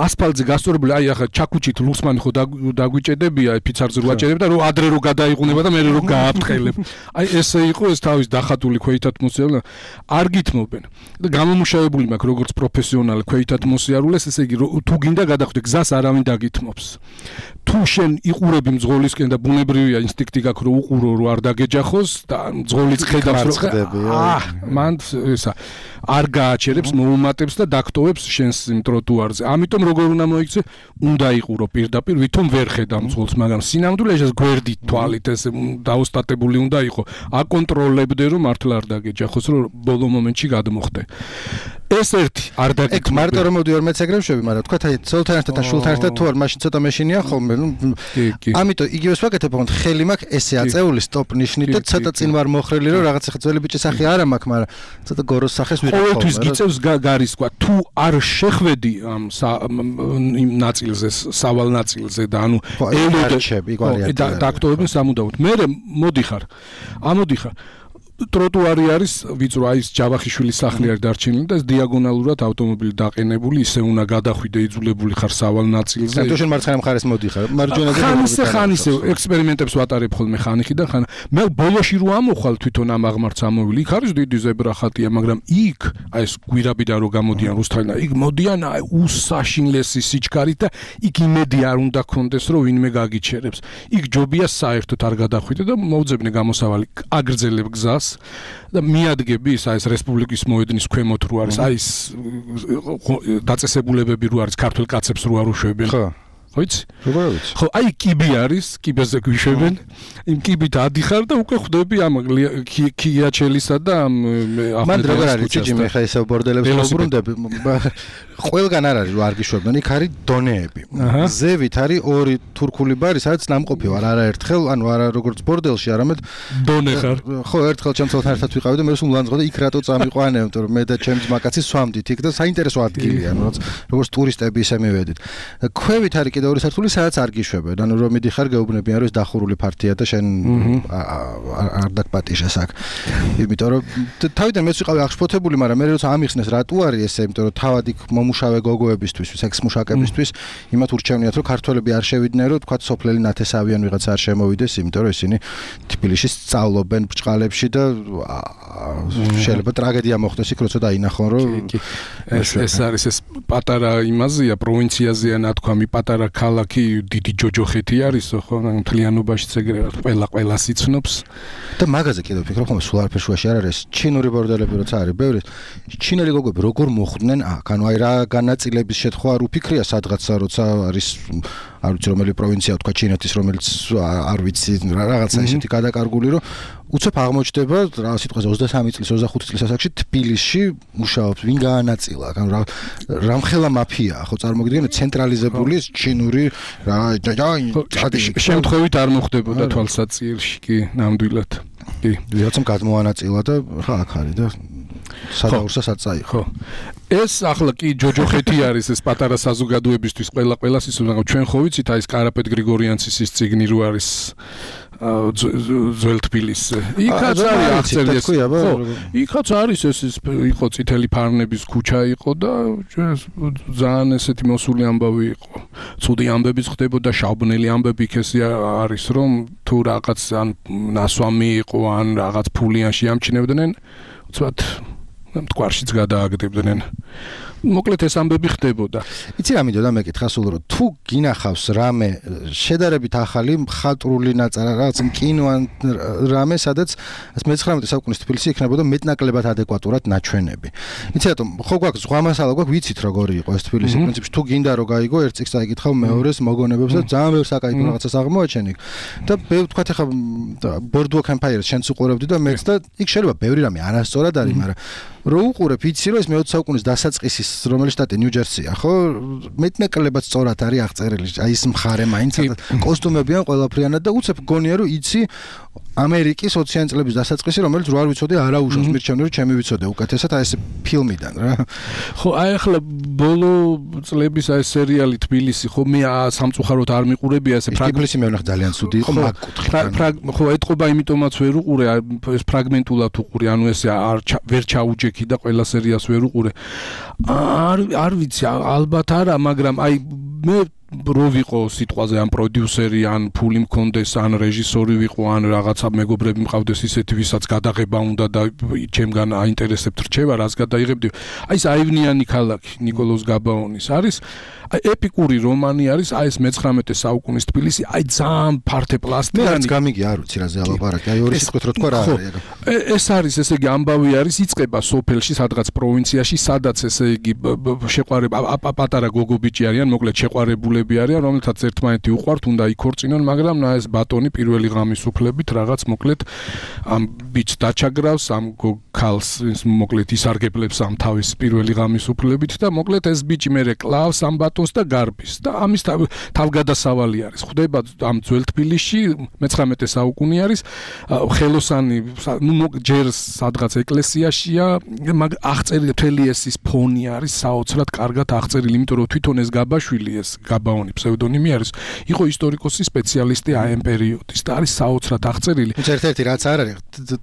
ასფალტზე გასწორებული აი ახლა ჩაკუჩით ლუსმანი ხო დაგვიჭედებია ფიცარზე რო აჭერებ და რო ადრე რო გადაიღუნება და მე რო გააფრთხილებ აი ესე იყო ეს თავის დახატული ქვეითად მოსიარულე არ გითმობენ და გამომუშავებული მაქვს როგორც პროფესიონალი ქვეითად მოსიარულეს ესე იგი თუ გინდა გადახვიდე გზას არავინ დაგითმობს თუ შენ იყურები მძღოლისკენ და ბუნებრივია ინსტინქტი გაქვს რომ უყურო რო არ დაგეჯახოს და მძღოლიც ხედავს რომ აა მან ესა არ გააჩერებს მოუმატებს და დაგტოვებს შენს იმ ტროტუარზე ამიტომ როგორ უნდა მოიქცე უნდა იყურო პირდაპირ ვითომ ვერ ხედავ მძღოლს მაგრამ სინამდვილეში ეს გვერდით თვალით ეს დაოსტატებული უნდა იყო აკონტროლებდე რომ მართლა არ დაგეჯახოს რომ ბოლო მომენტში გადმოხდე ეს ერთი არ დაგეჯახე ეგ მარტო რომ მოდიარ მეც ეგრევშები მაგრამ თქვა აი ცოლთან ერთად და შულთან ერთად თუ არ მაშინ ცოტა მეშინია ხოლმე ნუ ამიტომ იგივეს ვაკეთებ მაგრამ ხელი მაქვს ესე აწეული სტოპ ნიშნით და ცოტა წინ ვარ მოხრილი რომ რაღაც ახლა ძველი ბიჭის სახე არა მაქვს მაგრამ ცოტა გოროს სახეს ვიყავ ყოველთვის გიწევს გარის თქვა თუ არ შეხვედი ამ იმ ნაწილზე სავალ ნაწილზე და ანუ ელოდები და დაქტოვებენ სამუდამოდ მე მოდიხარ ამოდიხარ ტროტუარი არის ვიწრო აი ეს ჯავახიშვილის სახლი არის დარჩენილი და ეს დიაგონალურად ავტომობილი დაყენებული ისე უნდა გადახვიდე იძულებული ხარ სავალ ნაწილზე და თუ შენ მარცხენა მხარეს მოდიხარ მარჯვენაზე ხანისე ხანისე ექსპერიმენტებს ვატარებ ხოლმე ხანიხიდან ხან მე ბოლოში რო ამოხვალ თვითონ ამ აღმართს ამოვილი იქ არის დიდი ზებრა ხატია მაგრამ იქ აი ეს გვირაბიდან რო გამოდიან რუსთავიდან იქ მოდიან აი უსაშინლესი სიჩქარით და იქ იმედი არ უნდა გქონდეს რომ ვინმე გაგიჩერებს იქ ჯობია საერთოდ არ გადახვიდე და მოვძებნე გამოსავალი აგრძელებ გზას და მიადგები ის ეს რესპუბლიკის მოედნის ქვემოთ რო არის აი ეს დაწესებულებები რო არის ქართულ კაცებს რო არ უშვებენ ხო ხო იცი როგორ ვიცი ხო აი კიბი არის კიბეზე გვიშვებენ იმ კიბით ადიხარ და უკვე ხვდები ამ ქიაჩელისა და ამ მან როგორ არის ჭიჭი მე ხა ისე ბორდელებს ვუბრუნდები ყველგან არ არის რომ არ გიშვებენ იქ არის დონეები ზევით არის ორი თურქული ბარი სადაც ნამყოფი ვარ არაერთხელ ანუ არა როგორც ბორდელში არამედ დონე ხარ ხო ერთხელ ჩემ ცოლთან ერთად ვიყავი და მე სულ ლანძღო და იქ რატო წამიყვანე იმიტომ რომ მე და ჩემი ძმაკაცი სვამდით იქ და საინტერესო ადგილია ანუ როგორც ტურისტები ისე მივედით ქვევით არის კიდევ ორი სართული სადაც არ გიშვებენ. ანუ რომ მიდიხარ გეუბნებიან რომ ეს დახურული ფართია და შენ არ დაგპატიშეს აქ. იმიტომ რომ თავიდან მეც ვიყავი აღშფოთებული, მაგრამ მე როცა ამიხსნეს რატო არის ესე, იმიტომ რომ თავად იქ მომუშავე გოგოებისთვის, სექს მუშაკებისთვის იმათ ურჩევნიათ რომ ქართველები არ შევიდნენ, რომ თქვა სოფლელი ნათესავიან ვიღაცა არ შემოვიდეს, იმიტომ რომ ისინი თბილისში სწავლობენ ბრჭყალებში და შეიძლება ტრაგედია მოხდეს იქ როცა დაინახონ რომ ეს ეს არის ეს პატარა იმაზეა პროვინციაზეა ნათქვამი პატარა ქალაქი დიდი ჯოჯოხეთი არისო ხო მთლიანობაში ეგრე ყველა ყველას იცნობს და მაგაზე კიდევ ვფიქრობ ხომ სულ არაფერ შუაში არ არის ჩინური ბორდელები როცა არის ბევრი ჩინელი გოგოები როგორ მოხვდნენ აქ ანუ აი რა განაწილების შეთხვა არ უფიქრია სადღაცა როცა არის არ ვიცი რომელი პროვინცია თქვა ჩინეთის რომელიც არ ვიცი რაღაცა ისეთი გადაკარგული რომ უცებ აღმოჩნდება რა სიტყვაზე ოცდასამი წლის ოცდახუთი წლის ასაკში თბილისში მუშაობს ვინ გაანაწილა ანუ რა რამხელა მაფია ხო წარმოგიდგენთ ცენტრალიზებული ჩინური რა შემთხვევით არ მოხდებოდა თვალსაჩინში კი ნამდვილად კი ვიღაცამ გადმოანაწილა და ხა აქ არის და სადაურსაც აწაი ხო ეს ახლა კი ჯოჯოხეთი არის ეს პატარა საზოგადოებისთვის ყველა ყველას ის მაგრამ ჩვენ ხო ვიცით აი ეს კარაპეტ გრიგორიანცის ის ციგნი რო არის ძველ თბილისზე იქაც არის აღწერილი ეს ხო იქაც არის ეს იყო წითელი ფარნების ქუჩა იყო და ძალიან ესეთი მოსული ამბავი იყო ცუდი ამბებიც ხდებოდა შავბნელი ამბები იქ ესე არის რომ თუ რაღაც ან ნასვამი იყო ან რაღაც ფულიანში ამჩნევდნენ უცბად მტკვარშიც გადააგდებდნენ. მოკლედ ეს ამბები ხდებოდა. იცი რა მინდოდა მეკითხა სულ რომ თუ გინახავს რამე შედარებით ახალი მხატვრული ნაწარა რაღაც კინო ან რამე სადაც მეცხრამეტე საუკუნის თბილისი იქნებოდა მეტნაკლებად ადეკვატურად ნაჩვენები. იცი რატომ ხო გვაქვს ზღვა მასალა გვაქვს ვიცით როგორი იყო ეს თბილისი პრინციპში თუ გინდა რომ გაიგო ერთ წიგნს აიკითხავ მეორეს მოგონებებს და ძალიან ბევრ საკაითო რაღაცას აღმოაჩენი და მე ვთქვათ ახლა ბორდუაკ ემპაიერს შენც უყურებდი და მეც და იქ შეიძლება ბევრი რამე არასწორად არის მაგრამ რო უყურებ იცი რომ ეს მეოცე საუკუნის დასაწყისის რომელიც შტატი ნიუ-ჯერსია ხო მეტნაკლებად სწორად არის აღწერილი აი ეს მხარე მაინც კოსტუმები ან ყველაფრიანად და უცებ გონია რომ იცი ამერიკის ოციანი წლების დასაწყისი რომელიც რო არ ვიცოდე არაუშავს მირჩევნი რომ ჩემი ვიცოდე უკეთესად აი ეს ფილმიდან რა ხო აი ახლა ბოლო წლების აი სერიალი თბილისი ხო მე სამწუხაროდ არ მიყურებია ესე თბილისი მე ვნახე ძალიან ცუდი იყო მაგ კუთხით ხო ეთყობა იმიტომაც ვერ უყურე ეს ფრაგმენტულად უყურე ანუ ესე არ ვერ ჩაუჯექი და ყველა სერიას ვერ უყურე არ არ ვიცი ალბათ არა მაგრამ აი მე რო ვიყო სიტყვაზე ან პროდიუსერი ან ფული მქონდეს ან რეჟისორი ვიყო ან რაღაცა მეგობრები მყავდეს ისეთი ვისაც გადაღება უნდა და ჩემგან აინტერესებთ რჩევა რას გადაიღებდი აი ეს აივნიანი ქალაქი ნიკოლოზ გაბაონის არის ეპიკური რომანი არის აი ეს მეცხრამეტე საუკუნის თბილისი აი ძალიან ფართე პლასტიანი მე გამიგი არ ვიცი რაზე ალაპარაკი აი ორი სიტყვით რო თქვა რა არის ეს არის ესე იგი ამბავი არის იწყება სოფელში სადღაც პროვინციაში სადაც ესე იგი შეყვარება პატარა გოგობიჭი არიან მოკლედ შეყვარებულები არიან რომელთაც ერთმანეთი უყვართ უნდა იქორწინონ მაგრამ ნა ეს ბატონი პირველი ღამის უფლებით რაღაც მოკლედ ამ ბიჭს დაჩაგრავს ამ ქალს მოკლედ ისარგებლებს ამ თავის პირველი ღამის უფლებით და მოკლედ ეს ბიჭი მერე კლავს ამ ბატონს და გარბის და ამის თავგადასავალი არის ხდება ამ ძველ თბილისში მეცხრამეტე საუკუნე არის ხელოსანი ნუ ჯერ სადღაც ეკლესიაშია მაგ აღწერილი მთელი ეს ის ფონი არის საოცრად კარგად აღწერილი იმიტომ რომ თვითონ ეს გაბაშვილი ეს გაბაონი ფსევდონიმი არის იყო ისტორიკოსი სპეციალისტი აი ამ პერიოდის და არის საოცრად აღწერილი ერთ-ერთი რაც არ არის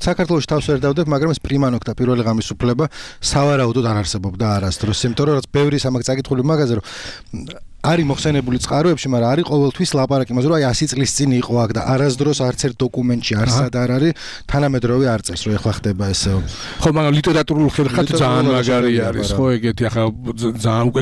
საქართველოში თავს ვერ დავდებ მაგრამ ეს პრიმანოკთა პირველი ღამის უფლება სავარაუდოდ არ არსებობდა არასდროს იმიტომ რომ რაც ბევრი სამაგ წაკითხული მაგაზე რომ არის მოხსენებული წყაროებში, მაგრამ არის ყოველთვის ლაპარაკი იმაზე, რომ აი ასი წლის წინ იყო აქ და არასდროს არც ერთ დოკუმენტში არსად არ არის თანამედროვე არ წერს, რომ ეხლა ხდება ესე. ხო, მაგრამ ლიტერატურულ ხერხად ძალიან მაგარი არის, ხო, ეგეთი ახლა ძალიან უკვე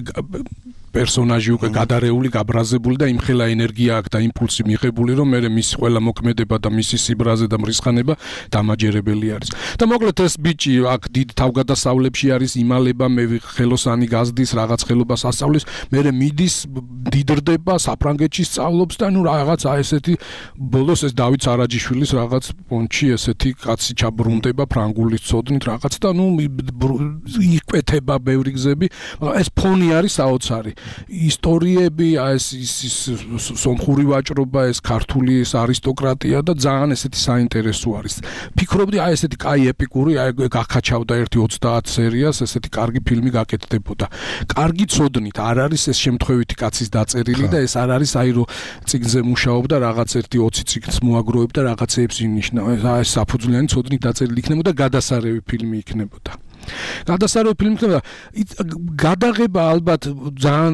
პერსონაჟი უკვე გადარეული, გაბრაზებული და იმხელა ენერგია აქვს და იმპულსი მიღებული, რომ მე მის ყველა მოქმედება და მისი სიბრაზე და მრისხანება დამაჯერებელი არის. და მოკლედ ეს ბიჭი აქ დიდ თავგადასავლებში არის, იმალება, მე ხელოსანი გაზდის, რაღაც ხელობას ასწავლის, მე მიდის, დიდრდება, საფრანგეთში სწავლობს და ნუ რაღაცა ესეთი ბოლოს ეს დავით სარაჯიშვილის რაღაც პონჩი ესეთი კაცი ჩაბრუნდება ფრანგულის ცოდნით რაღაც და ნუ იკვეთება ბევრი გზები, მაგრამ ეს ფონი არის საოცარი. ისტორიები, ეს ის სომხური ვაჭრობა, ეს ქართული ეს არისტოკრატია და ძალიან ესეთი საინტერესო არის. ფიქრობდი აი ესეთი კაი ეპიკური, აი გახაჩავდა ერთი ოცდაათ სერიას, ესეთი კარგი ფილმი გაკეთდებოდა. კარგი ცოდნით, არ არის ეს შემთხვევითი კაცის დაწერილი და ეს არ არის აი რომ წიგნზე მუშაობდა რაღაც ერთი ოცი წიგნს მოაგროვებდა რაღაცეებს ინიშნა. ეს საფუძვლიანი ცოდნით დაწერილი იქნებოდა, გადასარევი ფილმი იქნებოდა. გადასარევი ფილმი იქნებოდა. გადაღება ალბათ ძალიან,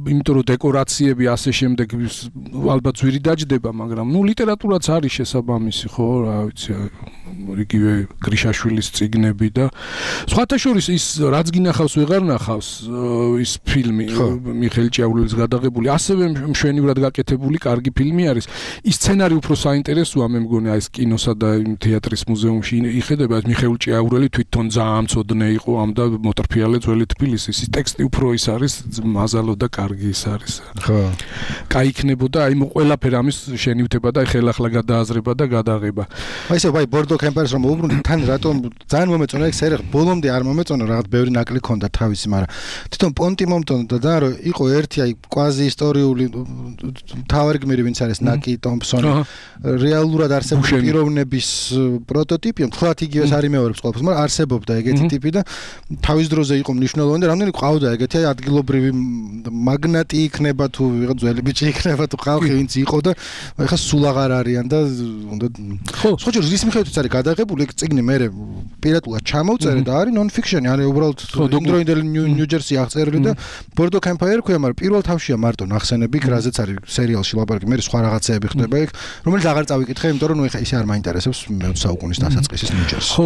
იმიტომ რომ დეკორაციები ასე შემდეგ ალბათ ძვირი დაჯდება, მაგრამ ნუ ლიტერატურაც არის შესაბამისი, ხო, რა ვიცი, იგივე გრიშაშვილის წიგნები და სხვათა შორის ის რაც გინახავს ვეღარ ნახავს ის ფილმი მიხეილ ჭიაურელის გადაღებული, ასევე მშვენივრად გაკეთებული კარგი ფილმი არის. ის სცენარი უფრო საინტერესოა მე მგონი აი ეს კინოსა და თეატრის მუზეუმში იხედება ეს მიხეილ ჭიაურელი თვითონ ძალიან მწოდნე იყო ამ და მოტრფიალე ძველი თბილისის. ის ტექსტი უფრო ის არის მაზალო და კარგი ის არის. ხო. კაი იქნებოდა აი ყველაფერი ამის შენივთება და ხელახლა გადააზრება და გადაღება. აი ესე ვაი ბორდო კემპერს რომ უბრუნდი თან რატომ ძალიან მომეწონა ეს სერია ბოლომდე არ მომეწონა რაღაც ბევრი ნაკლი ქონდა თავისი, მაგრამ თვითონ პონტი მომტონდა და რომ იყო ერთი აი კვაზი ისტორიული თავარი გმირი ვინც არის ნაკი ტომპსონი რეალურად არსებული პიროვნების პროტოტიპი, თლათ იგივეს არ იმეორებს ყველაფერს, მაგრამ არსებობდა ეგეთი ტიპი და თავის დროზე იყო მნიშვნელოვანი და რამდენი ყავდა ეგეთი აი ადგილობრივი მაგნატი იქნება თუ ვიღა ძველი ბიჭი იქნება თუ ხალხი ვინც იყო და ეხლა სულ აღარ არიან და უნდა ხო სხვა ჯერ რის მიხედვითაც არის გადაღებული ეგ წიგნი მე პირატულად ჩამოვწერე და არის non fiction არის უბრალოდ იმდროინდელი ნიუ-ჯერსი აღწერილი და ბორდო კემპაირი ქვია, მაგრამ პირველ თავშია მარტო ნახსენები, რაზეც არის სერიალში ლაპარაკი, მე სხვა რაღაცეები ხდება ეგ, რომელიც აღარ წავიკითხე, იმიტომ რომ ნუ ეხა ისე არ მაინტერესებს მეოცე საუკუნის დასაწყისის ნიუ-ჯერსი. ხო,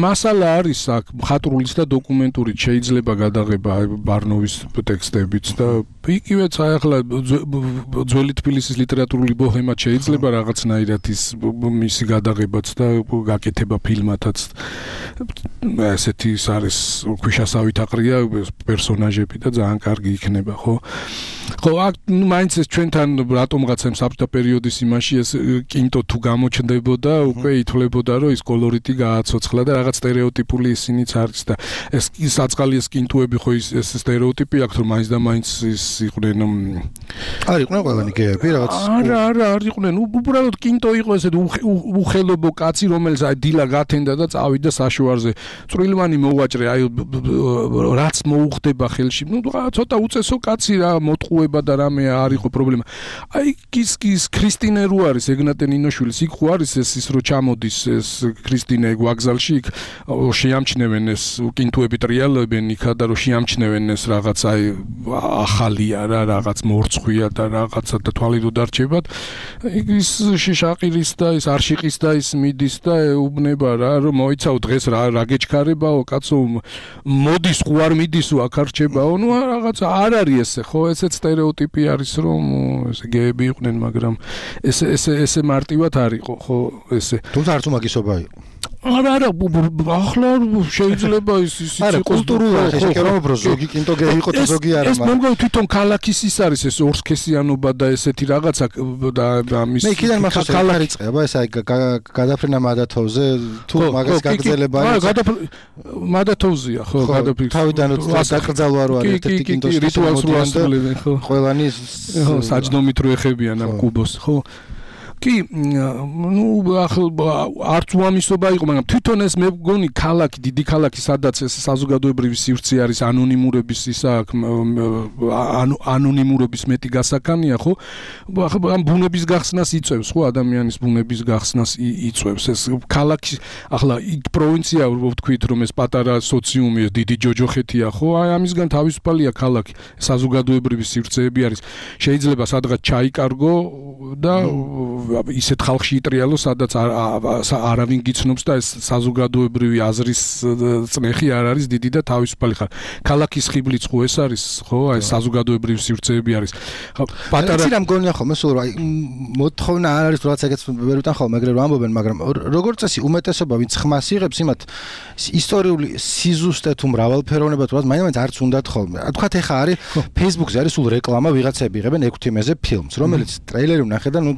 მასალა არის აქ მხატვრულიც და დოკუმენტურით შეიძლება გადაღება ბარნოვის ტექსტებიც და იგივეც აი ახლა ძველი თბილისის ლიტერატურული ბოჰემად შეიძლება რაღაცნაირად ის მისი გადაღებაც და გაკეთება ფილმათაც. ესეთი ის არის ქვიშასავით აყრია პერსონაჟები და ძალიან კარგი იქნება, ხო? ხო, აქ მაინც ეს ჩვენთან რატომღაც ამ საბჭოთა პერიოდის იმაში ეს კინტო თუ გამოჩნდებოდა, უკვე ითვლებოდა რომ ის კოლორიტი გააცოცხლა და რაღაც სტერეოტიპული ისინიც არის და ეს საწყალი ეს კინტოები ხო ის ეს სტერეოტიპი აქვს რომ მაინც და მაინც ის იყვნენ არ იყვნენ ყველანი გეები რაღაც არა არა არ იყვნენ უბრალოდ კინტო იყო ესეთ უხელობო კაცი რომელიც აი დილა გათენდა და წავიდა საშუარზე წვრილმანი მოვაჭრე აი რაც მოუხდება ხელში ნუ ცოტა უწესო კაცი რა მოტყუება და რამე არ იყო პრობლემა აი ის ის ქრისტინე რო არის ეგნატე ნინოშვილის იქ ხო არის ეს ის რო ჩამოდის ეს ქრისტინე ვაგზალში იქ შეამჩნევენ ეს კინტოები ტრიალებენ იქა და რო შეამჩნევენ ეს რაღაც აი ახალია რა რაღაც მორცხვია და რაღაცა და თვალი რო დარჩებათ ის შიშაყირის და ის არშიყის და ის მიდის და ეუბნება რა რომ მოიცავ დღეს რა რა გეჩქარებაო კაცო მოდის ხო არ მიდისო აქ არჩებაო ნუ რაღაცა არ არის ესე ხო ესეც სტერეოტიპი არის რომ ესე გეები იყვნენ მაგრამ ესე ესე ესე მარტივად არ იყო ხო ესე თუმცა არც უმაგისობა იყო არა არა ახლა შეიძლება ის ის არა კულტურულად ესე რომ უფრო ზოგი კინტო გეი იყო და ზოგი არა ეს მომგონ თვითონ ქალაქის ის არის ეს ორსქესიანობა და ესეთი რაღაცა და ამის მე იქიდან მახსოვს ქალაქი წება ეს აი გადაფრენა მადათოვზე თუ მაგას გაგზელება არა მადათოვზია ხო გადაფრენა თავიდან დაკრძალვა რო არის ერთ-ერთი კინტოს რიტუალს რო ასრულებენ ხო ყველანი ხო საჯდომით რო ეხებიან ამ კუბოს ხო კი ნუ ახლა არც უამისობა იყო მაგრამ თვითონ ეს მე მგონი ქალაქი დიდი ქალაქი სადაც ეს საზოგადოებრივი სივრცე არის ანონიმურების ისა ანონიმურობის მეტი გასაკანია ხო ახლა ამ ბუნების გახსნას იწევს ხო ადამიანის ბუნების გახსნას იწევს ეს ქალაქი ახლა იქ პროვინცია ვთქვით რომ ეს პატარა სოციუმი დიდი ჯოჯოხეთია ხო აი ამისგან თავისუფალია ქალაქი საზოგადოებრივი სივრცეები არის შეიძლება სადღაც ჩაიკარგო და ისეთ ხალხში იტრიალო, სადაც არავინ გიცნობს და ეს საზოგადოებრივი აზრის წნეხი არ არის დიდი და თავისუფალი ხარ. ქალაქის ხიბლიც ხო ეს არის, ხო? აი საზოგადოებრივი სივრცეები არის. პატარა რა მგონია ხოლმე, სულ აი მოთხოვნა არ არის რაც ეგეც ვერ ვიტან ხოლმე, ეგრე რომ ამბობენ, მაგრამ როგორც წესი უმეტესობა ვინც ხმას იღებს, იმათ ისტორიული სიზუსტე თუ მრავალფეროვნება თუ რაც მაინც არც უნდათ ხოლმე. თქვათ ეხა არის Facebook-ზე არის სულ რეკლამა ვიღაცები იღებენ ექვთიმეზე ფილმს, რომელიც ტრეილერი ვნახე და ნუ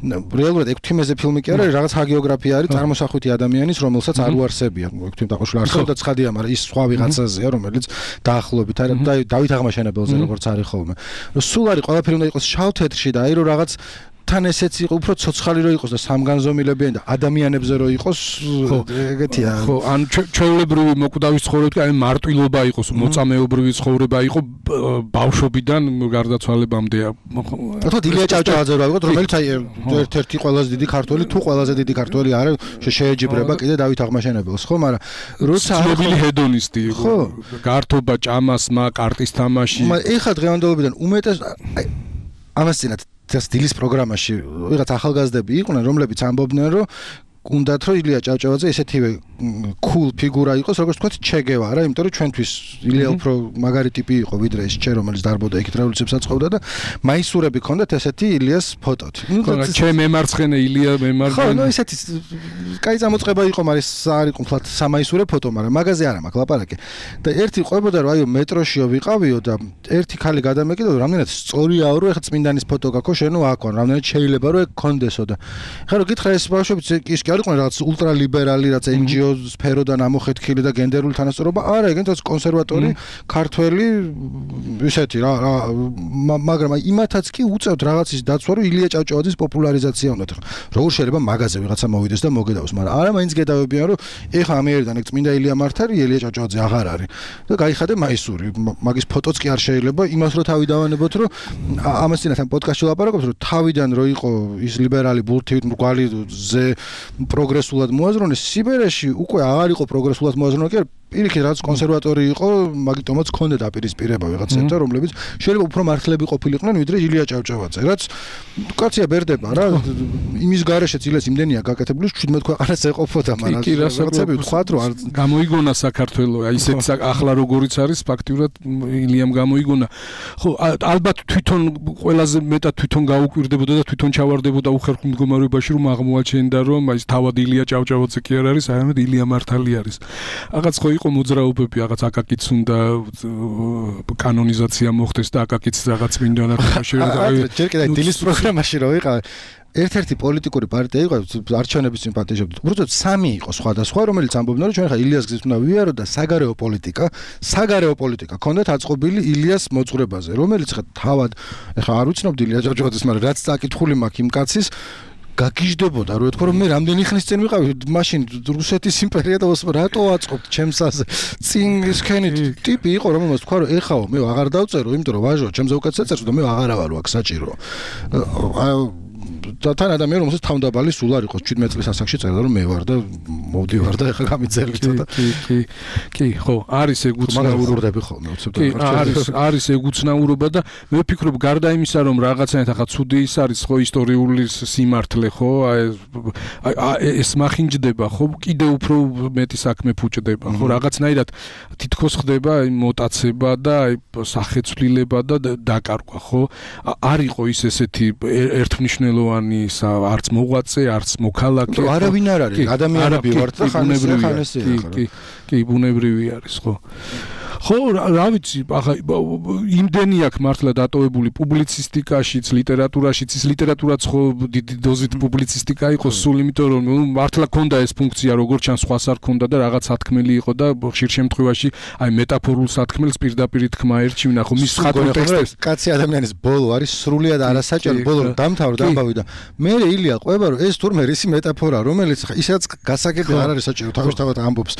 რეალურად ექვთიმეზე ფილმი კი არა, რაღაც ჰაგიოგრაფია არის წარმოსახვითი ადამიანის, რომელსაც არ უარსებია. ექვთიმ დაყოშული არსებობდა ცხადია, მაგრამ ის სხვა ვიღაცაზეა, რომელიც დაახლოებით არა დავით აღმაშენებელზე როგორც არის ხოლმე. სულ არის ყველაფერი უნდა იყოს შავ თეთრში და აი რომ რაღაც თან ესეც იყო უფრო ცოცხალი რო იყოს და სამგანზომილებიანი და ადამიანებზე რო იყოს ეგეთია. ხო, ან ჩვეულებრივი მოკვდავის ცხოვრება, აი მარტვილობა იყოს, მოწამეობრივი ცხოვრება იყო ბავშვობიდან გარდაცვალებამდე. ხო, ილია ჭავჭავაძე რო ვიყოთ, რომელიც აი ერთ-ერთი ყველაზე დიდი ქართველი, თუ ყველაზე დიდი ქართველი არის, შეეჯიბრება კიდე დავით აღმაშენებელს, ხო, მაგრამ როცა ცნობილი ჰედონისტი იყო, გართობა, ჭამასმა, კარტის თამაში. ეხლა დღევანდელობიდან უმეტეს აი ამას წინათ სტილის პროგრამაში ვიღაც ახალგაზრდები იყვნენ, რომლებიც ამბობდნენ, რომ უნდათ რომ ილია ჭავჭავაძე ესეთივე cool ფიგურა იყოს, როგორც თქვათ ჩე გევარა, იმიტომ რომ ჩვენთვის ილია უფრო მაგარი ტიპი იყო, ვიდრე ეს ჩე, რომელიც დარბოდა იქით რევოლუციებს აწყობდა და მაისურები ჰქონდათ ესეთი ილიას ფოტოთი. ჩე მემარცხენე ილია მემარცხენე. ხო, ნუ ესეთი კაი წამოწყება იყო, მაგრამ არ იყო ფლათ სამაისურე ფოტო, მაგრამ მაგაზე არა მაქვს ლაპარაკი. და ერთი ყვებოდა რომ აიო მეტროშიო ვიყავიო და ერთი ხალი გადამეკიდო, რამდენად სწორიაო, რომ ეხა წმინდანის ფოტო გაქვს, შენო აქ ვარ, რამდენად შეიძლება რომ ეგ კონდესო და ხა რომ გითხრა ეს ბავშვები ის კი არ იყვნენ რაღაც ultraliberali, რაც εν ჯი ო სფეროდან ამოხეთქილი და გენდერული თანასწორობა, არა, ეგენთაც კონსერვატორი, ქართველი, ისეთი რა, მაგრამ იმათაც კი უწევთ რაღაცის დაცვა, რომ ილია ჭავჭავაძის პოპულარიზაცია უნდათ. როგორ შეიძლება მაგაზე ვიღაცა მოვიდეს და მოგედავს, მაგრამ არა, მაინც გედავებიან, რომ ეხა ამიერიდან ეგ წმინდა ილია მართარი, ილია ჭავჭავაძე აღარ არის. და გაიხადე მაისური, მაგის ფოტოც კი არ შეიძლება, იმას რო თავი დავანებოთ, რომ ამას წინათ ამ პოდკასტში ლაპარაკობთ, რომ თავიდან რო იყო ის ლიბერალი ბურთივით მრგვალი ზე პროგრესულად მოაზრონეს, სიბერეში უკვე აღარ იყო პროგრესულად მოაზროვნე, კი პირიქით რაც კონსერვატორი იყო, მაგიტომაც ჰქონდა დაპირისპირება ვიღაცებთან, რომლებიც შეიძლება უფრო მართლები ყოფილიყვნენ, ვიდრე ილია ჭავჭავაძე. რაც კაცია ბერდება რა, იმის გარეშეც ილეს იმდენია გაკეთებული, ჩვიდმეტ ქვეყანას ეყოფოდა, მაგრამ რაღაცები ვთქვათ, რომ არ გამოიგონა საქართველო, აი ისეთ ახლა როგორიც არის, ფაქტიურად ილიამ გამოიგონა. ხო, ალბათ თვითონ ყველაზე მეტად თვითონ გაუკვირდებოდა და თვითონ ჩავარდებოდა უხერხულ მდგომარეობაში, რომ აღმოაჩენდა, რომ აი თავად ილია ჭავჭავაძე კი არ არის, არამედ ილია მართალი არის. რაღაც ხო იყო მოძრაობები, რაღაც აკაკიც უნდა კანონიზაცია მოხდეს და აკაკიც რაღაც მინდანად შეიძლება. ჯერ კიდევ დილის პროგრამაში რო ვიყავ, ერთ-ერთი პოლიტიკური პარტია იყო, არჩევნების წინ პატეჟებდა. უბრალოდ სამი იყო სხვადასხვა, რომელიც ამბობდნენ, რომ ჩვენ ხა ილიას გზით უნდა ვიარო და საგარეო პოლიტიკა, საგარეო პოლიტიკა ქონდათ აწყობილი ილიას მოძღვრებაზე, რომელიც ხა თავად, ეხა არ ვიცნობდი ილია ჭავჭავაძეს, მაგრამ რაც წაკითხული მაქვს იმ კაცის გაგიჟდებოდა, რომ ეთქვა რომ მე რამდენი ხნის წინ ვიყავი, მაშინ რუსეთის იმპერია და რატო აწყობთ ჩემს აზე. წინ ისქენი ტიპი იყო, რომელმაც თქვა რომ ეხაო, მე აღარ დავწერო, იმიტომ რომ ვაჟო, ჩემზე უკეთ ეწერს და მე აღარა ვარო აქ საჭირო. და თან ადამიანი რომელსაც თავდაბალი სულ არ იყო, შვიდმეტ წლის ასაკში წერდა რომ მე ვარ და მოვდივარ და ეხა გამიძელი ცოტა. კი, კი, კი, ხო, არის ეგ უცნაურობები ხოლმე, უცებ და არის, არის ეგ უცნაურობა და მე ვფიქრობ გარდა იმისა რომ რაღაცნაირად ახლა ცუდი ის არის ხო ისტორიული სიმართლე ხო, აი ეს მახინჯდება ხო, კიდე უფრო მეტი საქმე ფუჭდება ხო, რაღაცნაირად თითქოს ხდება აი მოტაცება და აი სახეცვლილება და დაკარგვა ხო, არ იყო ის ესეთი ერთმნიშვნელოვანი არც მოღვაწე, არც მოქალაქე. არავინ არ არის, ადამიანები ვართ და ხანესია. კი, კი, ბუნებრივი არის, ხო. ხო, რა ვიცი, ახლა იმდენი აქვს მართლა დატოვებული პუბლიცისტიკაშიც, ლიტერატურაშიც, ის ლიტერატურაც ხო დიდი დოზით პუბლიცისტიკა იყო სულ, იმიტომ რომ მართლა ქონდა ეს ფუნქცია, როგორც ჩანს, სხვას არ ქონდა და რაღაც სათქმელი იყო და ხშირ შემთხვევაში აი მეტაფორულ სათქმელს პირდაპირ თქმა ერჩივნა, ხო მის ხატულ ტექსტებს. კაცი ადამიანის ბოლო არის სრულიად არასაჭირო, ბოლო დამთავრდა ამბავი და მე ილია ყვება რომ ეს თურმე რისი მეტაფორა, რომელიც ისაც გასაგები არ არის საჭირო, თავისთავად ამბობს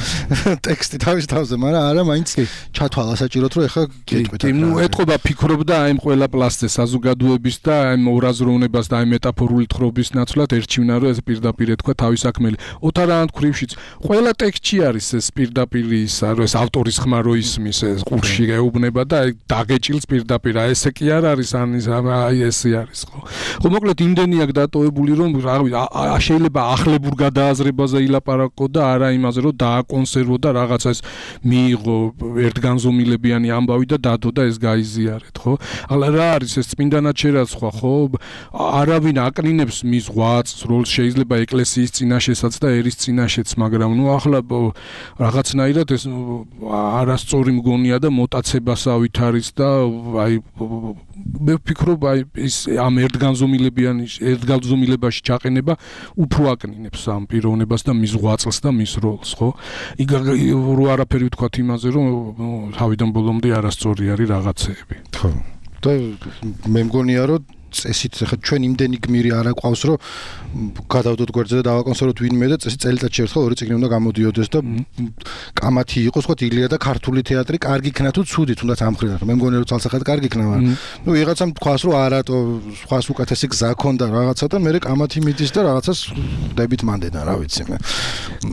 ტექსტი თავის თავზე, მაგრამ არა მაინც ჩათვალა საჭიროთ რომ ეხა გეტყვით. კი, ნუ ეთყობა ფიქრობდა აი ყველა პლასზე საზოგადოების და აი მორაზროვნებას და აი მეტაფორული თხრობის ნაცვლად ერჩივნა რომ ეს პირდაპირ ეთქვა თავის საქმელი. ოთარანთ ქრივშიც ყველა ტექსტში არის ეს პირდაპირ ისა, რომ ეს ავტორის ხმა რო ისმის ეს ყურში ეუბნება და აი დაგეჭილს პირდაპირ. აი ესე კი არ არის, ან აი ესე არის ხო. ხო მოკლედ იმდენი აქვს დატოვებული რომ შეიძლება ახლებურ გადააზრებაზე ილაპარაკო და არა იმაზე რომ დააკონსერვო და რაღაცა ეს მიიღო ერთგანზომილებიანი ამბავი და დადო და ეს გაიზიარეთ, ხო? ახლა რა არის ეს წმინდანად სხვა, ხო? არავინ აკნინებს მის ღვაწს, როლს შეიძლება ეკლესიის წინაშესაც და ერის წინაშეც, მაგრამ ნუ ახლა რაღაცნაირად ეს არასწორი მგონია და მოტაცებასავით არის და აი მე ვფიქრობ აი ის ამ ერთგანზომილებიანი ერთგანზომილებაში ჩაყენება უფრო აკნინებს ამ პიროვნებას და მის ღვაწლს და მის როლს, ხო? იქ რო არაფერი ვთქვათ იმაზე, რომ თავიდან ბოლომდე არასწორი არის რაღაცეები. ხო. და მე მგონია რომ წესით ხა ჩვენ იმდენი გმირი არ აყვავს რომ გადავდოთ გვერდზე და დავაკონსერვოთ ვინმე და წესი წელიწადში ერთხელ ორი წიგნი უნდა გამოდიოდეს და კამათი იყოს ხო ილია და ქართული თეატრი კარგი იქნა თუ ცუდი თუნდაც ამ ხრიდან მე მგონია რომ ცალსახად კარგი იქნა მაგრამ ნუ ვიღაცამ თქვას რომ არატო სხვას უკეთესი გზა ქონდა რაღაცა და მე კამათი მიდის და რაღაცას დებით მანდედა რა ვიცი მე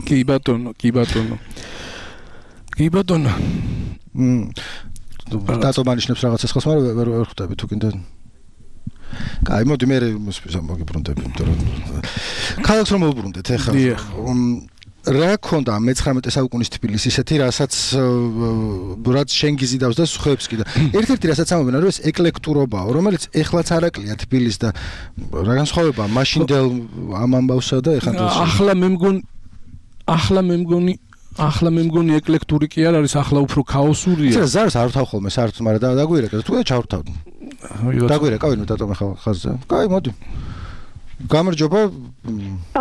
კი ბატონო კი ბატონო კი ბატონო დატო მანიშნებს რაღაცას ხოს მაგრამ ვერ ვერ ხვდები თუ კიდე კაი მოდი მე მოგიბრუნდები იმიტომ რომ ქალაქს რომ მოვუბრუნდეთ ეხლა რა ქონდა მეცხრამეტე საუკუნის თბილისს ისეთი რასაც რაც შენ გიზიდავს და სხვებს კიდე ერთ-ერთი რასაც ამობენ რომ ეს ეკლექტურობაა რომელიც ეხლაც არაკლია თბილისს და რა განსხვავებაა მაშინდელ ამ ამბავსა და ეხლა ახლა მე მგონი ახლა მე მგონი ახლა მე მგონი ეკლექტური კი არ არის ახლა უფრო ქაოსურია ეს ზარს არ ვთავ ხოლმე საერთოდ მაგრამ დაგვირეკე თუ ჩავთავ დაგვირეკავ ნუ დატომ ახლა ხაზზე კაი მოდი გამარჯობა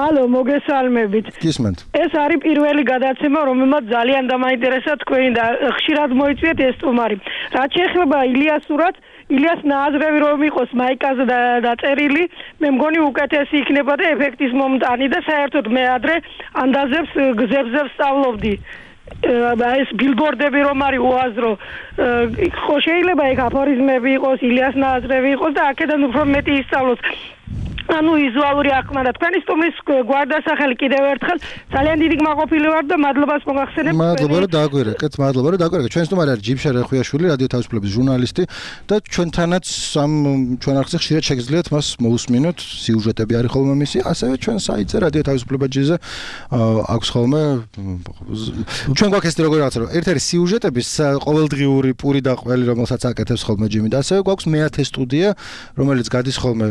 ალო მოგესალმებით გისმენთ ეს არის პირველი გადაცემა რომელმაც ძალიან დამაინტერესა თქვენი და ხშირად მოიწვიეთ ეს სტუმარი რაც შეეხება ილიასურად ილიას ნააზრევი რომ იყოს მაიკაზე დაწერილი მე მგონი უკეთესი იქნება და ეფექტის მომტანი და საერთოდ მე ადრე ანდაზებს გზებზე ვსწავლობდი ეს ბილბორდები რომ არის უაზრო ხო შეიძლება ეგ აფორიზმები იყოს ილიას ნააზრევი იყოს და აქედან უფრო მეტი ისწავლოს ანუ ვიზუალური აღქმა და თქვენი სტუმრის გვარდასახელი კიდევ ერთხელ ძალიან დიდი გმაყოფილი ვარ და მადლობას მოგახსენებ მადლობა რომ დაგვირეკეთ მადლობა რომ დაგვირეკეთ ჩვენ სტუმარი არის ჯიბშა რეხვიაშვილი რადიო თავისუფლების ჟურნალისტი და ჩვენთანაც ამ ჩვენ არხზე ხშირად შეგიძლიათ მას მოусმინოთ სიუჟეტები არის ხოლმე მისი ასევე ჩვენ საიტზე რადიო თავისუფლება.jz-ზე აქვს ხოლმე ჩვენ გვაქვს ეს როგორ რაღაცა რომ ერთ არის სიუჟეტების ყოველდღიური პური და ყველი რომელსაც აკეთებს ხოლმე ჯიმი და ასევე გვაქვს მეათე სტუდია რომელიც გადის ხოლმე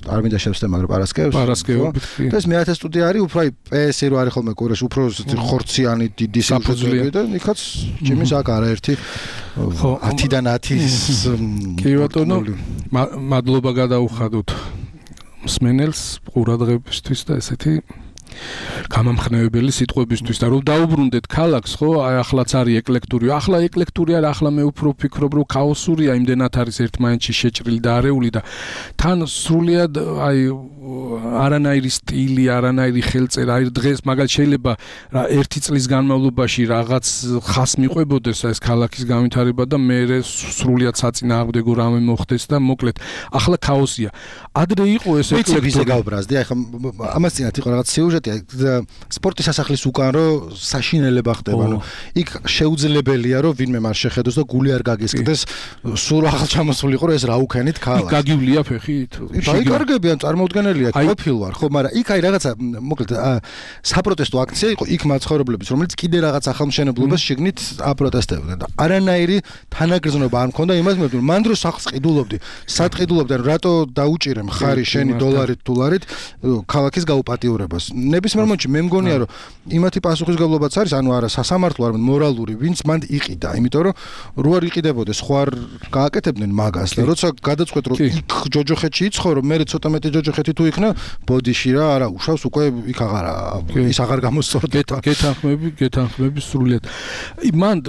არ მინდა შევსდე მაგრამ პარასკევს პარასკევობით და ეს მეათე სტუდია არის უფრო აი პე-ესი რო არის ხოლმე კურაში უფრო ხორციანი დიდი სიუჟეტები და იქაც ჯიმის აქ არაერთი ათიდან ათის კი ბატონო მადლობა გადაუხადოთ მსმენელს ყურადღებისთვის და ესეთი გამამხნევებელი სიტყვებისთვის და რომ დაუბრუნდეთ ქალაქს ხო აი ახლაც არის ეკლექტური ახლა ეკლექტური არა ახლა მე უფრო ვფიქრობ რომ ქაოსურია იმდენად არის ერთმანეთში შეჭრილი და არეული და თან სრულიად აი არანაირი სტილი არანაირი ხელწერა აი დღეს მაგალითად შეიძლება რა ერთი წლის განმავლობაში რაღაც ხას მიყვებოდეს ეს ქალაქის განვითარება და მე სრულიად საწინააღმდეგო რამე მოხდეს და მოკლედ ახლა ქაოსია ადრე იყო ეს ეკლექტური გავბრაზდი აი ხა ამას წინათ იყო რაღაც სიუჟეტი სპორტის სასახლის უკან რო საშინელება ხდება ანუ იქ შეუძლებელია რომ ვინმე მას შეხედოს და გული არ გაგესკდეს სულ ახალ ჩამოსულიყო რომ ეს რა უქენით ქალაქი გაგივლია ფეხით დაიკარგებიან წარმოუდგენელია ყოფილ ვარ ხო მაგრამ იქ აი რაღაცა მოკლედ საპროტესტო აქცია იყო იქ მაცხოვრებლების რომელიც კიდე რაღაც ახალმშენებლობას შეგნით აპროტესტებდნენ და არანაირი თანაგრძნობა არ მქონდა იმას მე მან დროს სახს ყიდულობდი სად ყიდულობდი ანუ რატო დაუჭირე მხარი შენი დოლარით დოლარით ქალაქის გაუპატიურებას ნებისმიერ მომენტში მე მგონია რომ იმათი პასუხისგებლობაც არის ანუ არა სასამართლო არა მორალური ვინც მანდ იყიდა იმიტომ რომ რო არ იყიდებოდეს ხო არ გააკეთებდნენ მაგას და როცა გადაწყვეტ რომ იქ ჯოჯოხეთში იცხოვრო მე ცოტა მეტი ჯოჯოხეთი თუ იქნა ბოდიში რა არა უშავს უკვე იქ აღარა ის აღარ გამოსწორდება გეთანხმები გეთანხმები სრულიად მანდ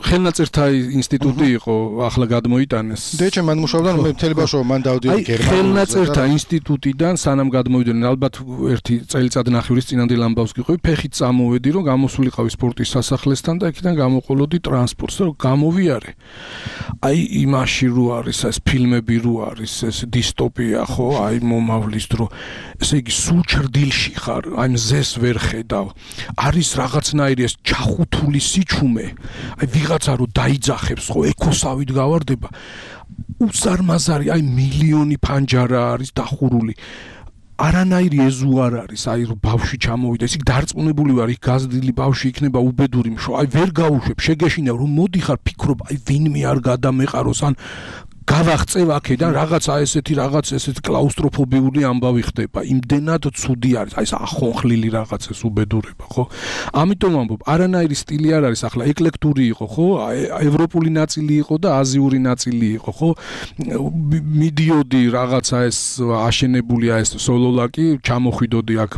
ხელნაწერთა ინსტიტუტი იყო ახლა გადმოიტანეს დეჩე მან მუშაობდა მე მთელი ბავშვობა მან დავდიოდი გერმანიაში ხელნაწერთა ინსტიტუტიდან სანამ გადმოვიდნენ ალბათ ერთი წელიწად ნახევრის წინანდელ ამბავს გიყვი ფეხით წამოვედი რომ გამოსულიყავი სპორტის სასახლესთან და იქიდან გამოყოლოდი ტრანსპორტს რომ გამოვიარე აი იმაში რო არის ეს ფილმები რო არის ეს დისტოპია ხო აი მომავლის დრო ესე იგი სულ ჭრდილში ხარ აი მზეს ვერ ხედავ არის რაღაცნაირი ეს ჩახუთული სიჩუმე აი ვიღაცა რო დაიძახებს ხო ეკოსავით გავარდება უსარმაზარი აი მილიონი ფანჯარა არის დახურული არანაირი ეზო არ არის აი რომ ბავშვი ჩამოვიდა ისე დარწმუნებული ვარ იქ გაზრდილი ბავშვი იქნება უბედური მშო აი ვერ გაუშვებ შეგეშინებ რომ მოდიხარ ფიქრობ აი ვინმე არ გადამეყაროს ან გავაღწევ აქედან რაღაცა ესეთი რაღაც ესეთი კლაუსტროფობიული ამბავი ხდება. იმდენად ცუდი არის. აი ეს ახონხლილი რაღაც ეს უბედურება, ხო? ამიტომ ამბობ, არანაირი სტილი არ არის, ახლა ეკლექტური იყო, ხო? ევროპული ნაწილი იყო და აზიური ნაწილი იყო, ხო? მიდიოდი რაღაცა ეს აშენებულია ეს სოლოლაკი, ჩამოხვიდოდი აქ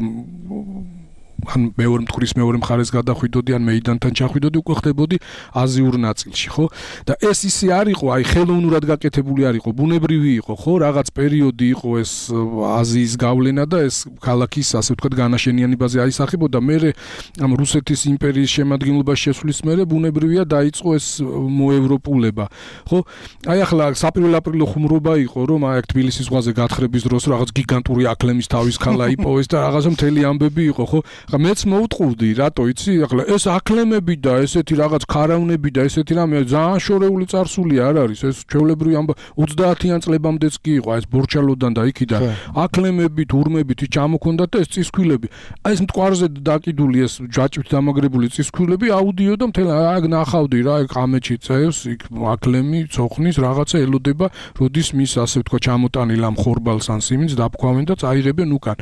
ან მეორე მტკვრის მეორე მხარეს გადახვიდოდი ან მეიდანთან ჩახვიდოდი უკვე ხდებოდი აზიურ ნაწილში ხო და ეს ისე არ იყო აი ხელოვნურად გაკეთებული არ იყო ბუნებრივი იყო ხო რაღაც პერიოდი იყო ეს აზიის გავლენა და ეს ქალაქის ასე ვთქვათ განაშენიანებაზე აისახებოდა მე ამ რუსეთის იმპერიის შემადგენლობაში შესვლის მერე ბუნებრივია დაიწყო ეს მოევროპულება ხო აი ახლა საპრილო აპრილო ხუმრობა იყო რომ აი თბილისის ზღვაზე გათხრების დროს რაღაც გიგანტური აკლემის თავის ქალა იპოვეს და რაღაცა მთელი ამბები იყო ხო ახლა მეც მოუტყუვდი რატო იცი ახლა ეს აკლემები და ესეთი რაღაც ქარავნები და ესეთი რამე ძალიან შორეული წარსული არ არის ეს ჩვეულებრივი ამბა ოცდაათიან წლებამდეც კი იყო აი ეს ბორჩალოდან და იქიდან აკლემები თურმებით ჩამოქონდათ და ეს წისქვილები აი ეს მტკვარზე დაკიდული ეს ჯაჭვით დამაგრებული წისქვილები აუდიო და მთელ აი ნახავდი რა ყამეჩი წევს იქ აკლემი ცოხნის რაღაცა ელოდება როდის მის ასე ვთქვა ჩამოტანილ ამ ხორბალს ან სიმინს დაფქვავენ და წაიღებენ უკან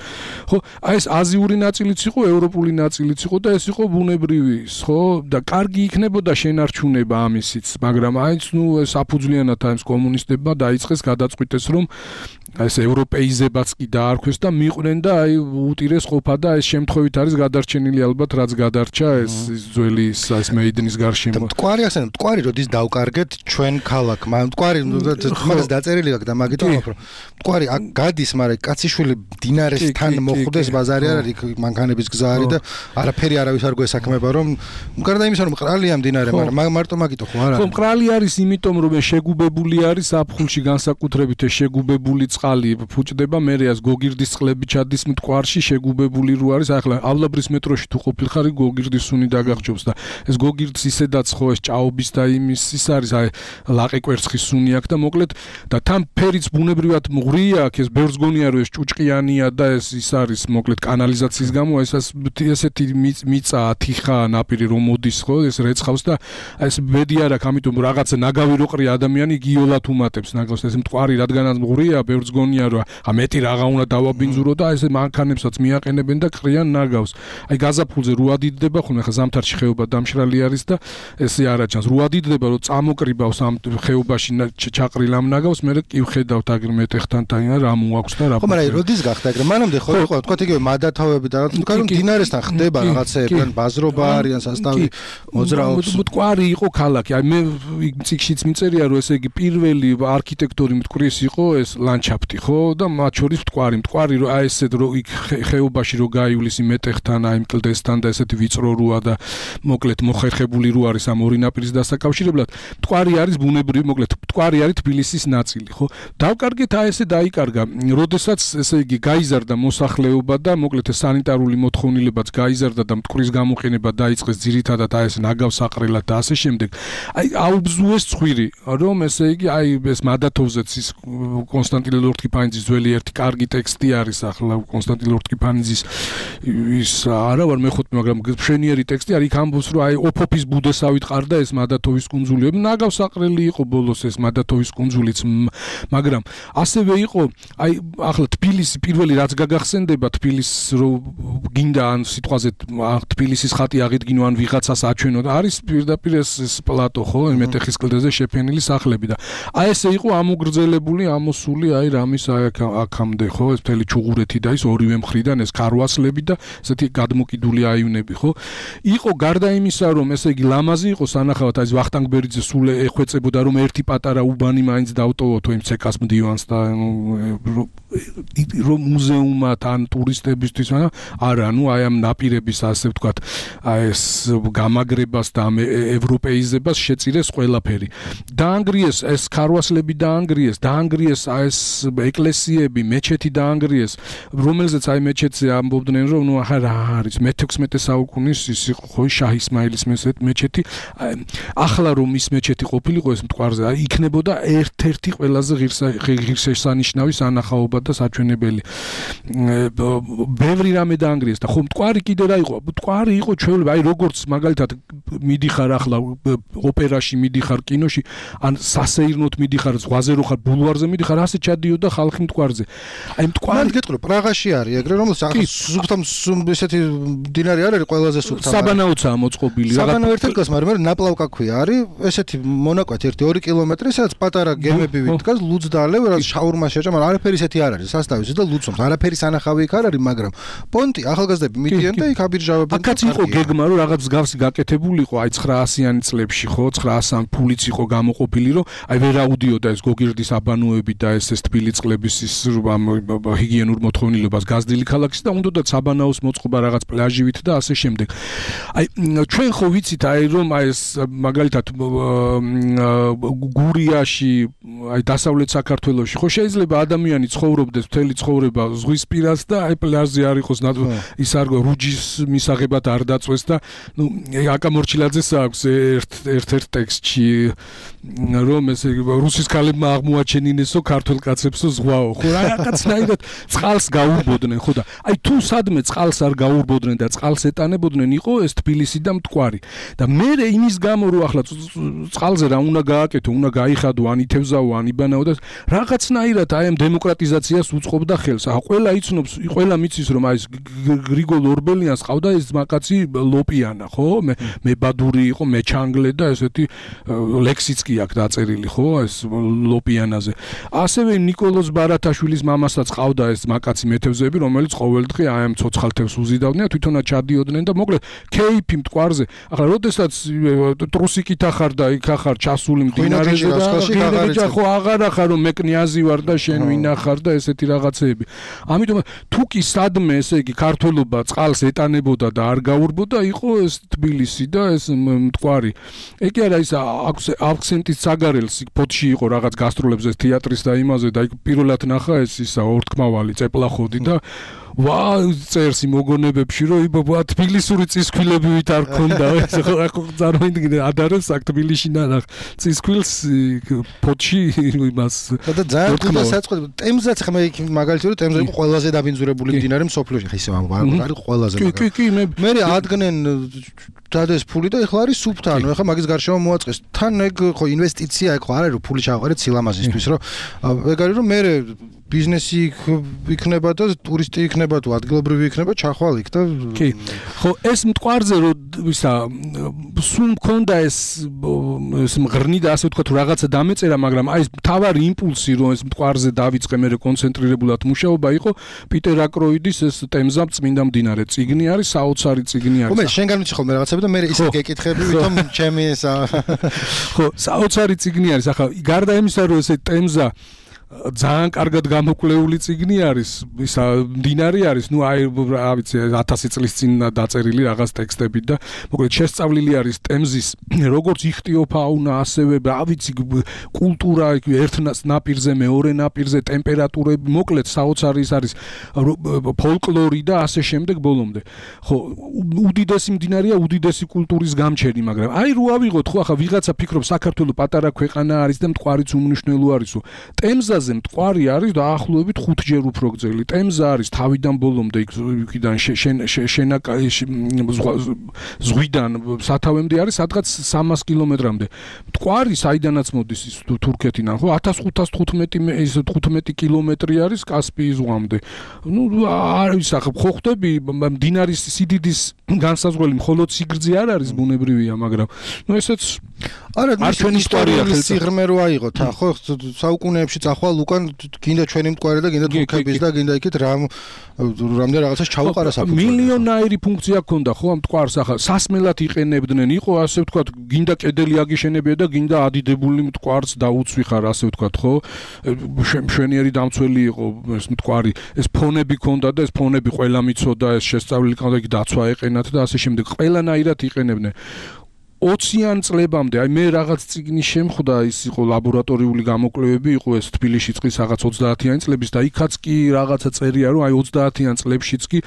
ხო აი ეს აზიური ნაწილიც იყო ევროპული ნაწილიც იყო და ეს იყო ბუნებრივი ხო და კარგი იქნებოდა შენარჩუნება ამისიც მაგრამ აიც ნუ საფუძვლიანად აი ეს კომუნისტებმა დაიწყეს გადაწყვიტეს რომ ეს ევროპეიზებაც კი დაარქვეს და მიყვნენ და აი უტირეს ყოფა და ეს შემთხვევით არის გადარჩენილი ალბათ რაც გადარჩა ეს ძველი ეს მეიდნის გარშემო მტკვარი ახსენე მტკვარი როდის დავკარგეთ ჩვენ ქალაქმა მტკვარი თუმცა დაწერილი აქვს და მაგიტომ ვაფრო მტკვარი გადის მაგრამ კაციშვილი დინარესთან მოხვდეს ბაზარი არ არის მანქანების გზა არის და არაფერი არავის არ გვესაქმება რომ გარდა იმისა რომ მყრალია მდინარე მაგრამ მარტო მაგიტო ხო არა ხო მყრალი არის იმიტომ რომ შეგუბებული არის აფხულში განსაკუთრებით შეგუბებული წყალი ფუჭდება მე რეას გოგირდის წყლები ჩადის მტკვარში შეგუბებული რო არის ახლა ავლაბრის მეტროში თუ ყოფილხარ გოგირდის სუნი დაგახჯობს და ეს გოგირდს ისედაც ხო ეს ჭაობის და იმის ის არის აი ლაყი კვერცხის სუნი აქვს და მოკლედ და თან ფერიც ბუნებრივად მღვრია აქ ეს ბევრს გონია რომ ეს ჭუჭყიანია და ეს ის არის მოკლედ კანალიზაციის გამო ეს ესეთი მიწა თიხა ნაპირი რომ მოდის ხო ეს რეცხავს და ეს ბედი არ აქვს ამიტომ რაღაცა ნაგავი რო ყრია ადამიანი გიოლად უმატებს ნაგავს ეს მტკვარი რადგანაც მღვრია ბევრს გონია რომ ა მეტი რაღა უნდა დავაბინძურო და ეს მანქანებსაც მიაყენებენ და ყრიან ნაგავს აი გაზაფხულზე რო ადიდება ხო ახლა ზამთარში ხეობა დამშრალი არის და ესე არაჩანს რო ადიდება რომ წამოკრიბავს ამ ხეობაში ჩაყრილ ამ ნაგავს მე კი ვხედავთ აგრ მეტეხთან თან რა მოაქვს და რა ხო მაგრამ როდის გახდა ეგრე მანამდე ხო იყო თქვა იგივე მადათავები და თქვა რომ დინარესთან ხდება რაღაცეები ან ბაზრობა არიან სასტავი მოძრაობს მტკვარი იყო ქალაქი აი მე ციკშიც მიწერია რომ ესე იგი პირველი არქიტექტორი მტკვრის იყო ეს ლანდშაფტი ხო და მათ შორის მტკვარი მტკვარი რომ აი ესეთ რომ იქ ხეობაში რო გაივლის იმეტეხთან აი მკლდესთან და ესეთი ვიწრო როა და მოკლედ მოხერხებული რო არის ამ ორი ნაპირის დასაკავშირებლად მტკვარი არის ბუნებრივი მოკლედ მტკვარი არის თბილისის ნაწილი ხო დავკარგეთ აი ესე დაიკარგა როდესაც ესე იგი გაიზარდა მოსახლეობა და მოკლედ სანიტარული მოთხოვნილებაც გაიზარდა და მტკვრის გამოყენება დაიწყეს ძირითადად აი ეს ნაგავსაყრელად და ასე შემდეგ აი აუბზუეს ცხვირი რომ ესე იგი აი ეს მადათოვზეც ის კონსტანტინე ლორთქიფანიძის ძველი ერთი კარგი ტექსტი არის ახლა კონსტანტინე ლორთქიფანიძის ის არა ვარ მეხუთე მაგრამ მშვენიერი ტექსტი არის იქ ამბობს რომ აი ოფოფის ბუდესავით ყარდა ეს მადათოვის კუნძული ნაგავსაყრელი იყო ბოლოს ეს მადათოვის კუნძულიც მაგრამ ასევე იყო აი ახლა თბილისი პირველი რაც გაგახსენდება თბილისს რო გინდა ან სიტყვაზე თბილისის ხატი აღიდგინო ან ვიღაცას აჩვენო და არის პირდაპირ ეს პლატო ხო მეტეხის კლდეზე შეფენილი სახლები და აი ესე იყო ამოგრძელებული ამოსული აი რამის აქამდე ხო ეს მთელი ჩუღურეთი და ის ორივე მხრიდან ეს ქარვასლები და ესეთი გადმოკიდული აივნები ხო იყო გარდა იმისა რომ ესე იგი ლამაზი იყო სანახავად აი ვახტანგ ბერიძე სულ ეხვეწებოდა რომ ერთი პატარა უბანი მაინც დავტოვოთ იმ ცეკას მდივანს და რომ მუზეუმად ან ტურისტებისთვის არა ნუ აი ამ ნაპირების ასე ვთქვათ აი ეს გამაგრებას და ევროპეიზებას შეწირეს ყველაფერი დაანგრიეს ეს ქარვასლები დაანგრიეს დაანგრიეს აი ეს ეკლესიები მეჩეთი დაანგრიეს რომელზეც აი მეჩეთზე ამბობდნენ რომ ნუ რა არის მეთექვსმეტე საუკუნის ის იყო ხო შაჰ ისმაილის მეჩეთი ახლა რომ ის მეჩეთი ყოფილიყო ეს მტკვარზე აი იქნებოდა ერთ-ერთი ყველაზე ღირსშესანიშნავი სანახაობა და საჩვენებელი ბევრი რამე დაანგრიეს და ხო მტკვარი კიდე რა იყო? მტკვარი იყო ჩვეულებრივ, აი როგორც მაგალითად მიდიხარ ახლა ოპერაში, მიდიხარ კინოში, ან სასეირნოთ მიდიხარ, ზღვაზე რო ხარ, ბულვარზე მიდიხარ, ასე ჩადიოდა ხალხი მტკვარზე. აი მტკვარი მან გეტყვი, პრაღაში არის ეგრე, რომელსაც სუფთა ესეთი დინარი არ არის ყველაზე სუფთა. საბანაოცაა მოწყობილი. საბანაო ერთ ადგილას, მაგრამ ნაპლავკა ქვია არის, ესეთი მონაკვეთი ერთი ორი კილომეტრი, სადაც პატარა გემები ვითკას, ლუძდალევ, რაც შაურმა შეჭა, მაგრამ არაფერი ისეთი არ არის, სასტავი და ლუცობს. არაფერი სანახავი იქ არ არის, მაგრამ პონტი ახალგაზრდები მიდიან და იქ აბირჟავებენ. აქაც იყო გეგმა, რომ რაღაც მსგავსი გაკეთებული იყო, აი ცხრაასიანი წლებში, ხო, ცხრაასი ფულიც იყო გამოყოფილი, რომ აი ვერ აუდიოდა ეს გოგირდის აბანოები და ეს ეს თბილი წყლების ის ჰიგიენურ მოთხოვნილებას გაზრდილი ქალაქის და უნდათ საბანაოს მოწყობა რაღაც პლაჟივით და ასე შემდეგ. აი ჩვენ ხო ვიცით აი რომ აი ეს მაგალითად გურიაში, აი დასავლეთ საქართველოში ხო შეიძლება ადამიანი ცხოვრობდეს მთელი ცხოვრება ზღვის პირას და აი პლაჟზე არ იყოს ის არ რუჯის მისაღებად არ დაწვეს და ნუ აკა მორჩილაძეს აქვს ერთ ერთ-ერთ ტექსტში რომ ესე რუსის ქალებმა აღმოაჩენინესო ქართულ კაცებსო ზღვაო ხო რაღაცნაირად წყალს გაურბოდნენ ხო და აი თუ სადმე წყალს არ გაურბოდნენ და წყალს ეტანებოდნენ იყო ეს თბილისი და მტკვარი და მე იმის გამო რომ ახლა წყალზე რა უნდა გააკეთო უნდა გაიხადო ან ითევზაო ან იბანაო და რაღაცნაირად აი ამ დემოკრატიზაციას უწყობდა ხელს ახლა ყველა იცნობს ყველა მიცის რომ აი ეს გრიგოლ ორბელიანს ყავდა ეს მაკაცი ლოპიანა ხო მე მე ბადური იყო მე ჩანგლე და ესეთი ლექსიც კი აქვს დაწერილი ხო ეს ლოპიანაზე ასევე ნიკოლოზ ბარათაშვილის მამასაც ყავდა ეს მაკაცი მეთევზეები რომელიც ყოველდღე აი ამ ცოცხალთევს უზიდავდნენ თვითონაც ჩადიოდნენ და მოკლედ კეიფი მტკვარზე ახლა როდესაც ტრუსიკით ახარ და იქ ახარ ჩასული მდინარეზე და ხო აღარა ხარ რომ მე კნიაზი ვარ და შენ ვინა ხარ და ესეთი რაღაცეები ამიტომ თუ კი სადმე ესე იგი ქართველობა წყალს ეტანებოდა და არ გაურბოდა იყო ეს თბილისი და ეს მტკვარი ეგ არა ის აქცენტის საგარელს ფოთში იყო რაღაც გასტროლებზე თეატრის და იმაზე და იქ პირველად ნახა ეს ისა ორთქმავალი წეპლახოდი და ვა წერს მოგონებებში რომ იბა თბილისური წისქვილებივით არ ქონდა ეს ხო წარმოიდგინე ადარებს აქ თბილისში ნახ წისქვილს ფოთში იმას და ძალიან კუდა საწყო ტემზაც ხმა იქ მაგალითად ტემზა იყო ყველაზე დაბინძურებული მდინარე მსოფლიოში ხა ისე არის ყველაზე მაგრამ კი კი მე მე ადგნენ დადეს ფული და ეხლა არის სუფთა ანუ ეხლა მაგის გარშემო მოაწყეს თან ეგ ხო ინვესტიცია ეგ ხო არ არის რომ ფული ჩავყარეთ სილამაზისთვის რომ ეგ არის რომ მე ბიზნესი იქნება და ტურისტი იქნება თუ ადგილობრივი იქნება ჩახვალ იქ და კი ხო ეს მტკვარზე რომ ისა სულ მქონდა ეს ეს მღრნი და ასე ვთქვათ რაღაცა დამეწერა მაგრამ აი ეს მთავარი იმპულსი რომ ეს მტკვარზე დავიწყე მე კონცენტრირებულად მუშაობა იყო პიტერ აკროიდის ეს ტემზა წმინდა მდინარე წიგნი არის საოცარი წიგნი არის ხო მე შენგან ვიცი ხოლმე რაღაცები და მე ისე გეკითხები ვითომ ჩემი ესა ხო საოცარი წიგნი არის ახლა გარდა იმისა რომ ეს ტემზა ძალიან კარგად გამოკვლეული წიგნი არის, ისა მდინარე არის, ნუ აი რა ვიცი ათასი წლის წინ დაწერილი რაღაც ტექსტები და მოკლედ შესწავლილი არის ტემზის როგორც იხტიოფაუნა, ასევე რა ვიცი კულტურა ერთ ნაპირზე, მეორე ნაპირზე, ტემპერატურები, მოკლედ საოცარი არის ფოლკლორი და ასე შემდეგ ბოლომდე. ხო, უდიდესი მდინარეა, უდიდესი კულტურის გამჩენი, მაგრამ აი რო ავიღოთ, ხო ახლა ვიღაცა ფიქრობს საქართველოს პატარა ქვეყანა არის და მტკვარიც უმნიშვნელო არისო. ტემზა მტკვარი არის დაახლოებით ხუთჯერ უფრო გრძელი. ტემზა არის თავიდან ბოლომდე იქიდან შენაკა ზღვიდან სათავემდე არის სადღაც სამას კილომეტრამდე. მტკვარი საიდანაც მოდის ის თურქეთიდან, ხო ათას ხუთას თხუთმეტი კილომეტრი არის კასპიის ზღვამდე. ნუ არის ახლა ხო ხვდები მდინარის სიდიდის განსაზღვრელი მხოლოდ სიგრძე არ არის ბუნებრივია, მაგრამ ნუ ესეც არა ჩვენი ისტორია სიღრმე რო აიღოთ, ხო საუკუნეებში წახვალ უკან გინდა ჩვენი მტკვარი და გინდა თურქების და გინდა იქით რამ რამდენი რაღაცას ჩაუყარა საფუძველი. მილიონაირი ფუნქცია ჰქონდა ხო ამ მტკვარს ახლა სასმელად იყენებდნენ, იყო ასე ვთქვათ, გინდა კედელი აგიშენებია და გინდა ადიდებული მტკვარს დაუცვი ხარ ასე ვთქვათ, ხო? მშვენიერი დამცველი იყო ეს მტკვარი, ეს ფონები ჰქონდა და ეს ფონები ყველა მიცოდა, ეს შესწავლილი ჰქონდა, იქ დაცვა ეყენათ და ასე შემდეგ. ყველანაირად იყენებდნენ. ოციან წლებამდე აი მე რაღაც წიგნის შემხვდა ის იყო ლაბორატორიული გამოკვლევები იყო ეს თბილისში წყლის რაღაც ოცდაათიანი წლების და იქაც კი რაღაცა წერია რომ აი ოცდაათიან წლებშიც კი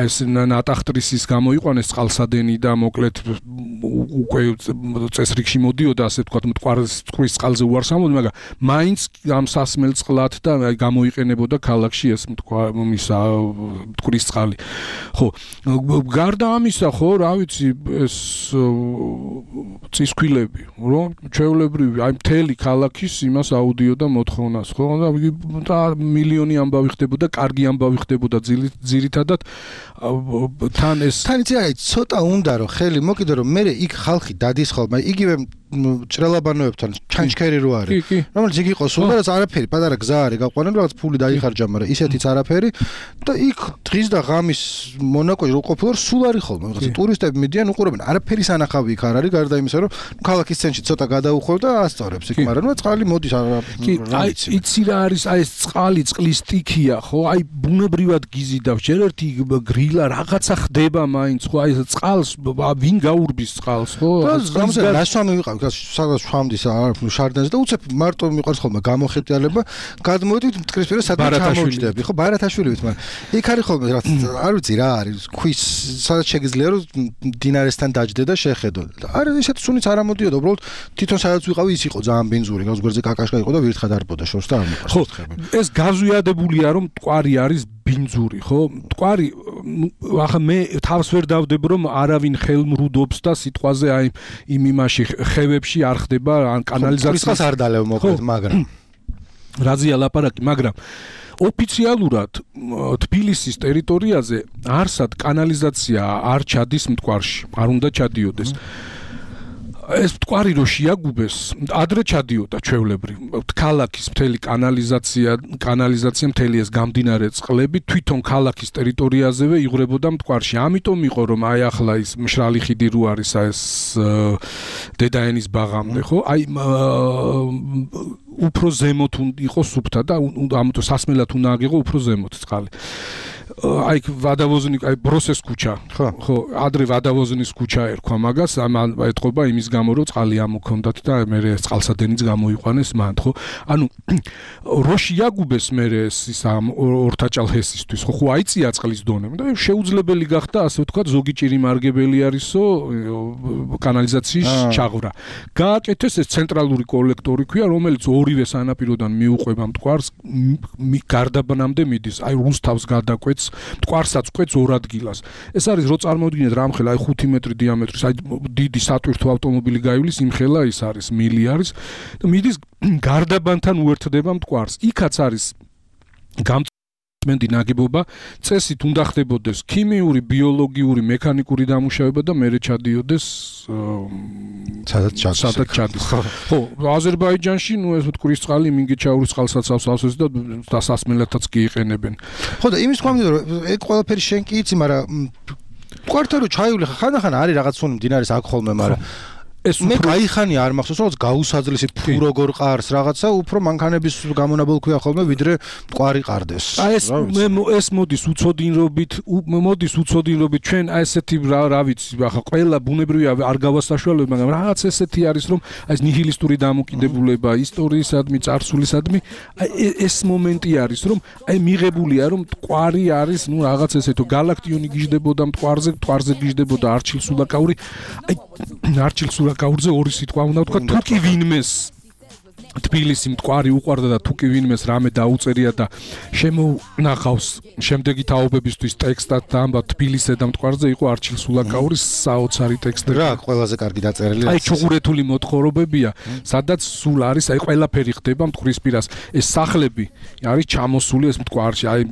აი ეს ნატახტრისის გამოიყვანეს წყალსადენი და მოკლედ უკვე წესრიგში მოდიოდა ასე ვთქვათ მტკვარის წყლის წყალზე უარს ამოდი მაგრამ მაინც ამ სასმელ წყლად და აი გამოიყენებოდა ქალაქში ეს მტკვარისა მტკვრის წყალი ხო გარდა ამისა ხო რა ვიცი ეს წისქვილები რომ ჩვეულებრივი აი მთელი ქალაქის იმას აუდიო და მოთხოვნას ხო და მილიონი ამბავი ხდებოდა კარგი ამბავი ხდებოდა ძირითადად თან ეს თან იცი აი ცოტა უნდა რომ ხელი მოკიდო რომ მე იქ ხალხი დადის ხოლმე იგივე ჭრელაბანოებთან ჩანჩქერი რო არის რომელიც იქ იყო სულ და რაც არაფერი პატარა გზა არის გაყვანენ რაღაც ფული დაიხარჯა მაგრამ ისეთიც არაფერი და იქ დღის და ღამის მონაკოში რო ყოფილო სულ არის ხოლმე რაღაც ტურისტები მიდიან უყურებენ არაფერი სანახავი იქ არ არის გარდა იმისა რომ ქალაქის ცენტრში ცოტა გადაუხვევ და ასწორებს იქ მაგრამ ნუ წყალი მოდის რა ვიცი იცი რა არის აი ეს წყალი წყლის სტიქია ხო აი ბუნებრივად გიზიდავს ჯერ ერთი გრილა რაღაცა ხდება მაინც ხო აი ეს წყალს ვინ გაურბის წყალს ხო და რასვამი ვიყავ სადაც შევამდის შარდენს და უცებ მარტო მიყვარს ხოლმე გამოხეტიალება გადმოვიდით მტკრისპირა სადაც ჩამოვჯდები ხო ბარათაშვილივით მაგრამ იქ არის ხოლმე რა არ ვიცი რა არის ქვის სადაც შეგიძლია რომ დინარესთან დაჯდე და შეხედო არის ისეთ სუნიც არ ამოდიოდა უბრალოდ თვითონ სადაც ვიყავი ის იყო ძალიან ბინძური გავს გვერდზე კაკაშკა იყო და ვირთხად არბოდა შორს და არ მიყვარს ხო ეს გაზვიადებულია რომ მტკვარი არის ბინძური ხო მტკვარი ახლა მე თავს ვერ დავდებ რომ არავინ ხელმრუდობს და სიტყვაზე აი იმ იმაში ხევებში არ ხდება ან კანალიზაციას არ დალევ მოკლედ მაგრამ რაზეა ლაპარაკი მაგრამ ოფიციალურად თბილისის ტერიტორიაზე არსად კანალიზაცია არ ჩადის მტკვარში არ უნდა ჩადიოდეს ეს მტკვარი რო შეაგუბეს ადრე ჩადიოდა ჩვეულებრივ ქალაქის მთელი კანალიზაცია კანალიზაცია მთელი ეს გამდინარე წყლები თვითონ ქალაქის ტერიტორიაზევე იღვრებოდა მტკვარში ამიტომ იყო რომ აი ახლა ის მშრალი ხიდი რო არის ეს დედაენის ბაღამდე ხო აი უფრო ზემოთ იყო სუფთა და ამიტომ სასმელად უნდა აგიღო უფრო ზემოთ წყალი აი ვადავოზნიკ აი ბროსეს ქუჩა ხო ხო ადრე ვადავოზნის ქუჩა ერქვა მაგას ამ ეთყობა იმის გამო რომ წყალი ამოქონდათ და მე წყალსადენიც გამოიყვანეს მან ხო ანუ რო შეაგუბეს მე ეს ის ამ ორთაჭალჰესისთვის ხო ხო აიწია წყლის დონე და შეუძლებელი გახდა ასე ვთქვათ ზოგი ჭირი მარგებელი არისო კანალიზაციის ჩაღვრა გააკეთეს ეს ცენტრალური კოლექტორი ქვია რომელიც ორივე სანაპიროდან მიუყვება მტკვარს გარდაბანამდე მიდის აი რუსთავს გადაკვეთს მტკვარსაც ყვეთს ორ ადგილას ეს არის რო წარმოვიდგინეთ რამხელა აი ხუთი მეტრი დიამეტრის აი დიდი სატვირთო ავტომობილი გაივლის იმხელა ის არის მილი არის და მიდის გარდაბანთან უერთდება მტკვარს იქაც არის გამწმენდი ნაგებობა წესით უნდა ხდებოდეს ქიმიური ბიოლოგიური მექანიკური დამუშავება და მერე ჩადიოდეს სადაც ჩადის სადაც ჩადის ხო აზერბაიჯანში ნუ ეს მტკვრის წყალი მინგეჩაურის წყალსაცავს ავსეს და დასასმელათაც კი იყენებენ ხო და იმის თქვა რომ ეგ ყველაფერი შენ კი იცი მაგრამ მტკვართან რო ჩაივლი ხანახან არის რაღაც სუნი მდინარის აქ ხოლმე მაგრამ ეს მე გაიხანი არ მახსოვს რომ გაუსაძლისი ფუ როგორ ყარს რაღაცა უფრო მანქანების გამონაბოლ ქვია ხოლმე ვიდრე მტკვარი ყარდეს აი ეს მე ეს მოდის უცოდინრობით მოდის უცოდინრობით ჩვენ აი ესეთი რა ვიცი ახლა ყველა ბუნებრივია არ გავასაშუალებ მაგრამ რაღაც ესეთი არის რომ აი ეს ნიჰილისტური დამოკიდებულება ისტორიისადმი წარსულისადმი აი ეს მომენტი არის რომ აი მიღებულია რომ მტკვარი არის ნუ რაღაც ესეთო galaktioni გიждდებოდა მტკვარზე მტკვარზე გიждდებოდა არჩილსულაკაური აი არჩილსულა გაურზე ორი სიტყვა უნდა ვთქვა თუ კი ვინმეს თბილისი მტკვარი უყვარდა და თუ კი ვინმეს რამე დაუწერია და შემონახავს შემდეგი თაობებისთვის ტექსტად და ამბა თბილისზე და მტკვარზე იყო არჩილსულაკაურის საოცარი ტექსტები რა ყველაზე კარგი დაწერილი აი ჩუღურეთული მოთხრობებია სადაც სულ არის აი ყველაფერი ხდება მტკვრისპირას ეს სახლები არის ჩამოსული ეს მტკვარში აი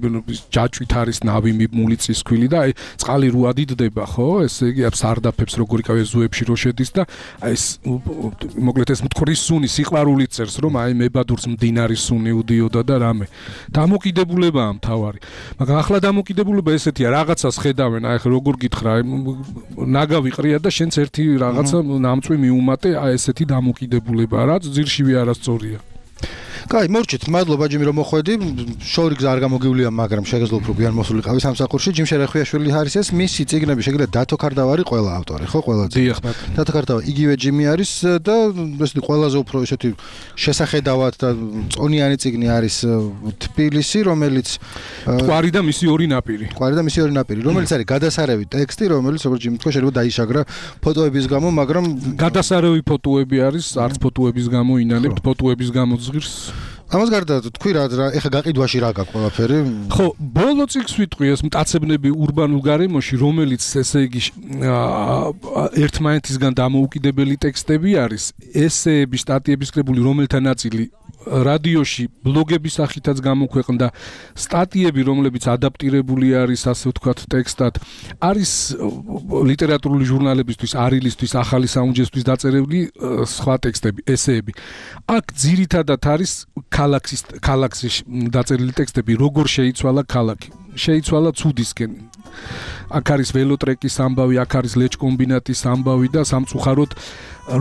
ჯაჭვით არის ნავი მიბმული წისქვილი და აი წყალი რო ადიდდება ხო ესე იგი სარდაფებს როგორ იკავე ზუებში რო შედის და აი ეს მოკლედ ეს მტკვრის სუნი სიყვარულით წერს რომ აი მებადურს მდინარის სუნი უდიოდა და რამე დამოკიდებულებაა მთავარი მაგრამ ახლა დამოკიდებულება ესეთია რაღაცას ხედავენ აი ახლა როგორ გითხრა ნაგავი ყრია და შენც ერთი რაღაცა ნამწვი მიუმატე აი ესეთი დამოკიდებულება რაც ძირშივე არასწორია კაი, მორჩით, მადლობა ჯიმი რომ მოხვედი. შორიგზა არ გამოგივლია, მაგრამ შეგეძლო უფრო გვიან მოსულიყავი სამსახურში. ჯიმ შერეხვიაშვილი არის ეს, მისი წიგნები შეგიძლიათ დათო ქარდავარი ყველა ავტორი, ხო, ყველა წიგნი. დიახ, ბატონო. დათო ქარდავა იგივე ჯიმი არის და ესეთი ყველაზე უფრო ესეთი შესახედავად და წონიანი წიგნი არის თბილისი, რომელიც ყვარი და მისი ორი ნაპირი. ყვარი და მისი ორი ნაპირი, რომელიც არის გადასარევი ტექსტი, რომელიც როგორც ჯიმი თქვა, შეიძლება დაიშაგრა ფოტოების გამო, მაგრამ გადასარევი ფოტოები არის, არც ფოტოების გამო ინანებთ, ფოტოების გამო ზღირს. ამას გარდა თქვი რა, ეხა გაყიდვაში რა გაქვს ყველაფერი? ხო, ბოლო წიგნს ვიტყვი ეს მტაცებნები ურბანულ გარემოში, რომელიც ესე იგი ერთმანეთისგან დამოუკიდებელი ტექსტები არის, ესეები, სტატიების კრებული, რომელთა ნაწილი რადიოში, ბლოგების სახითაც გამოქვეყნდა, სტატიები, რომლებიც ადაპტირებული არის, ასე ვთქვათ, ტექსტად, არის ლიტერატურული ჟურნალებისთვის, არილისთვის, ახალი საუნჯესთვის დაწერილი სხვა ტექსტები, ესეები. აქ ძირითადად არის ქალაქის ქალაქის დაწერილი ტექსტები, როგორ შეიცვალა ქალაქი. შეიცვალა ცუდისკენ. აქ არის ველოტრეკის ამბავი, აქ არის ლეჩკომბინატის ამბავი და სამწუხაროდ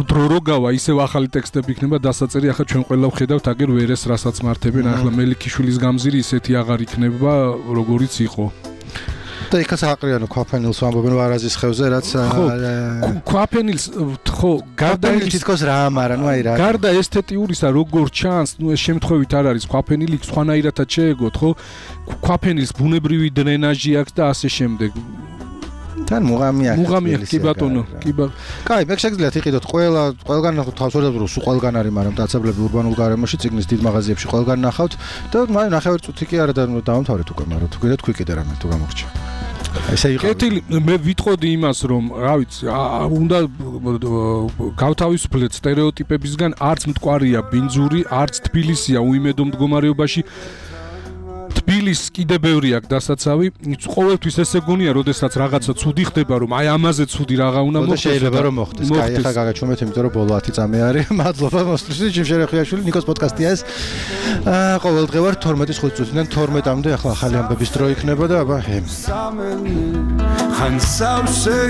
დრო როგავა, ისევ ახალი ტექსტები იქნება დასაწერი, ახლა ჩვენ ყველა ვხედავთ აგერ ვერეს რასაც მართებენ, ახლა მელიქიშვილის გამზირი ისეთი აღარ იქნება, როგორიც იყო. და იქაც აყრიანო ქვაფენილს ვამბობენ ვარაზის ხევზე, რაც ქვაფენილს ხო, გარდა თითქოს რა ამარა, ნუ აი რა. გარდა ესთეტიურისა, როგორ ჩანს, ნუ ეს შემთხვევით არ არის, ქვაფენილი სხვანაირადაც შეეგოთ, ხო? ქვაფენილს ბუნებრივი დრენაჟი აქვს და ასე შემდეგ. თან მუღამი აქვს. მუღამი აქვს, კი ბატონო, კი ბატონო. კაი, მე შეგიძლიათ იყიდოთ ყველა, ყველგან თავს ვერ დავუბრუნო, სულ ყველგან არის, მაგრამ მტაცებლები ურბანულ გარემოში წიგნის დიდ მაღაზიებში ყველგან ნახავთ და მაი ნახევარ წუთი კი არა დავამთავრეთ უკვე, მაგრამ თუ გინდათ თქვი კიდე რამე თუ გამორჩა. ესე იყო. კეთილი, მე ვიტყოდი იმას, რომ რა ვიცი, უნდა გავთავისუფლეთ სტერეოტიპებისგან, არც მტკვარია ბინძური, არც თბილისია უიმედო მდგომარეობაში. თბილისს კიდე ბევრი აქვს დასაცავი. ყოველთვის ესე გონია, როდესაც რაღაცა ცუდი ხდება, რომ აი ამაზე ცუდი რაღა უნდა მოხდეს. შეიძლება რომ მოხდეს. კაი, ახლა გაგაჩვენეთ, იმიტომ რომ ბოლო ათი წამი არის. მადლობა მოსვლისთვის, ჯიმ შერეხვიაშვილი, ნიკოს პოდკასტია ეს. აა ყოველდღე ვარ თორმეტის ხუთი წუთიდან თორმეტამდე, ახლა ახალი ამბების დრო იქნება და აბა ჰემ.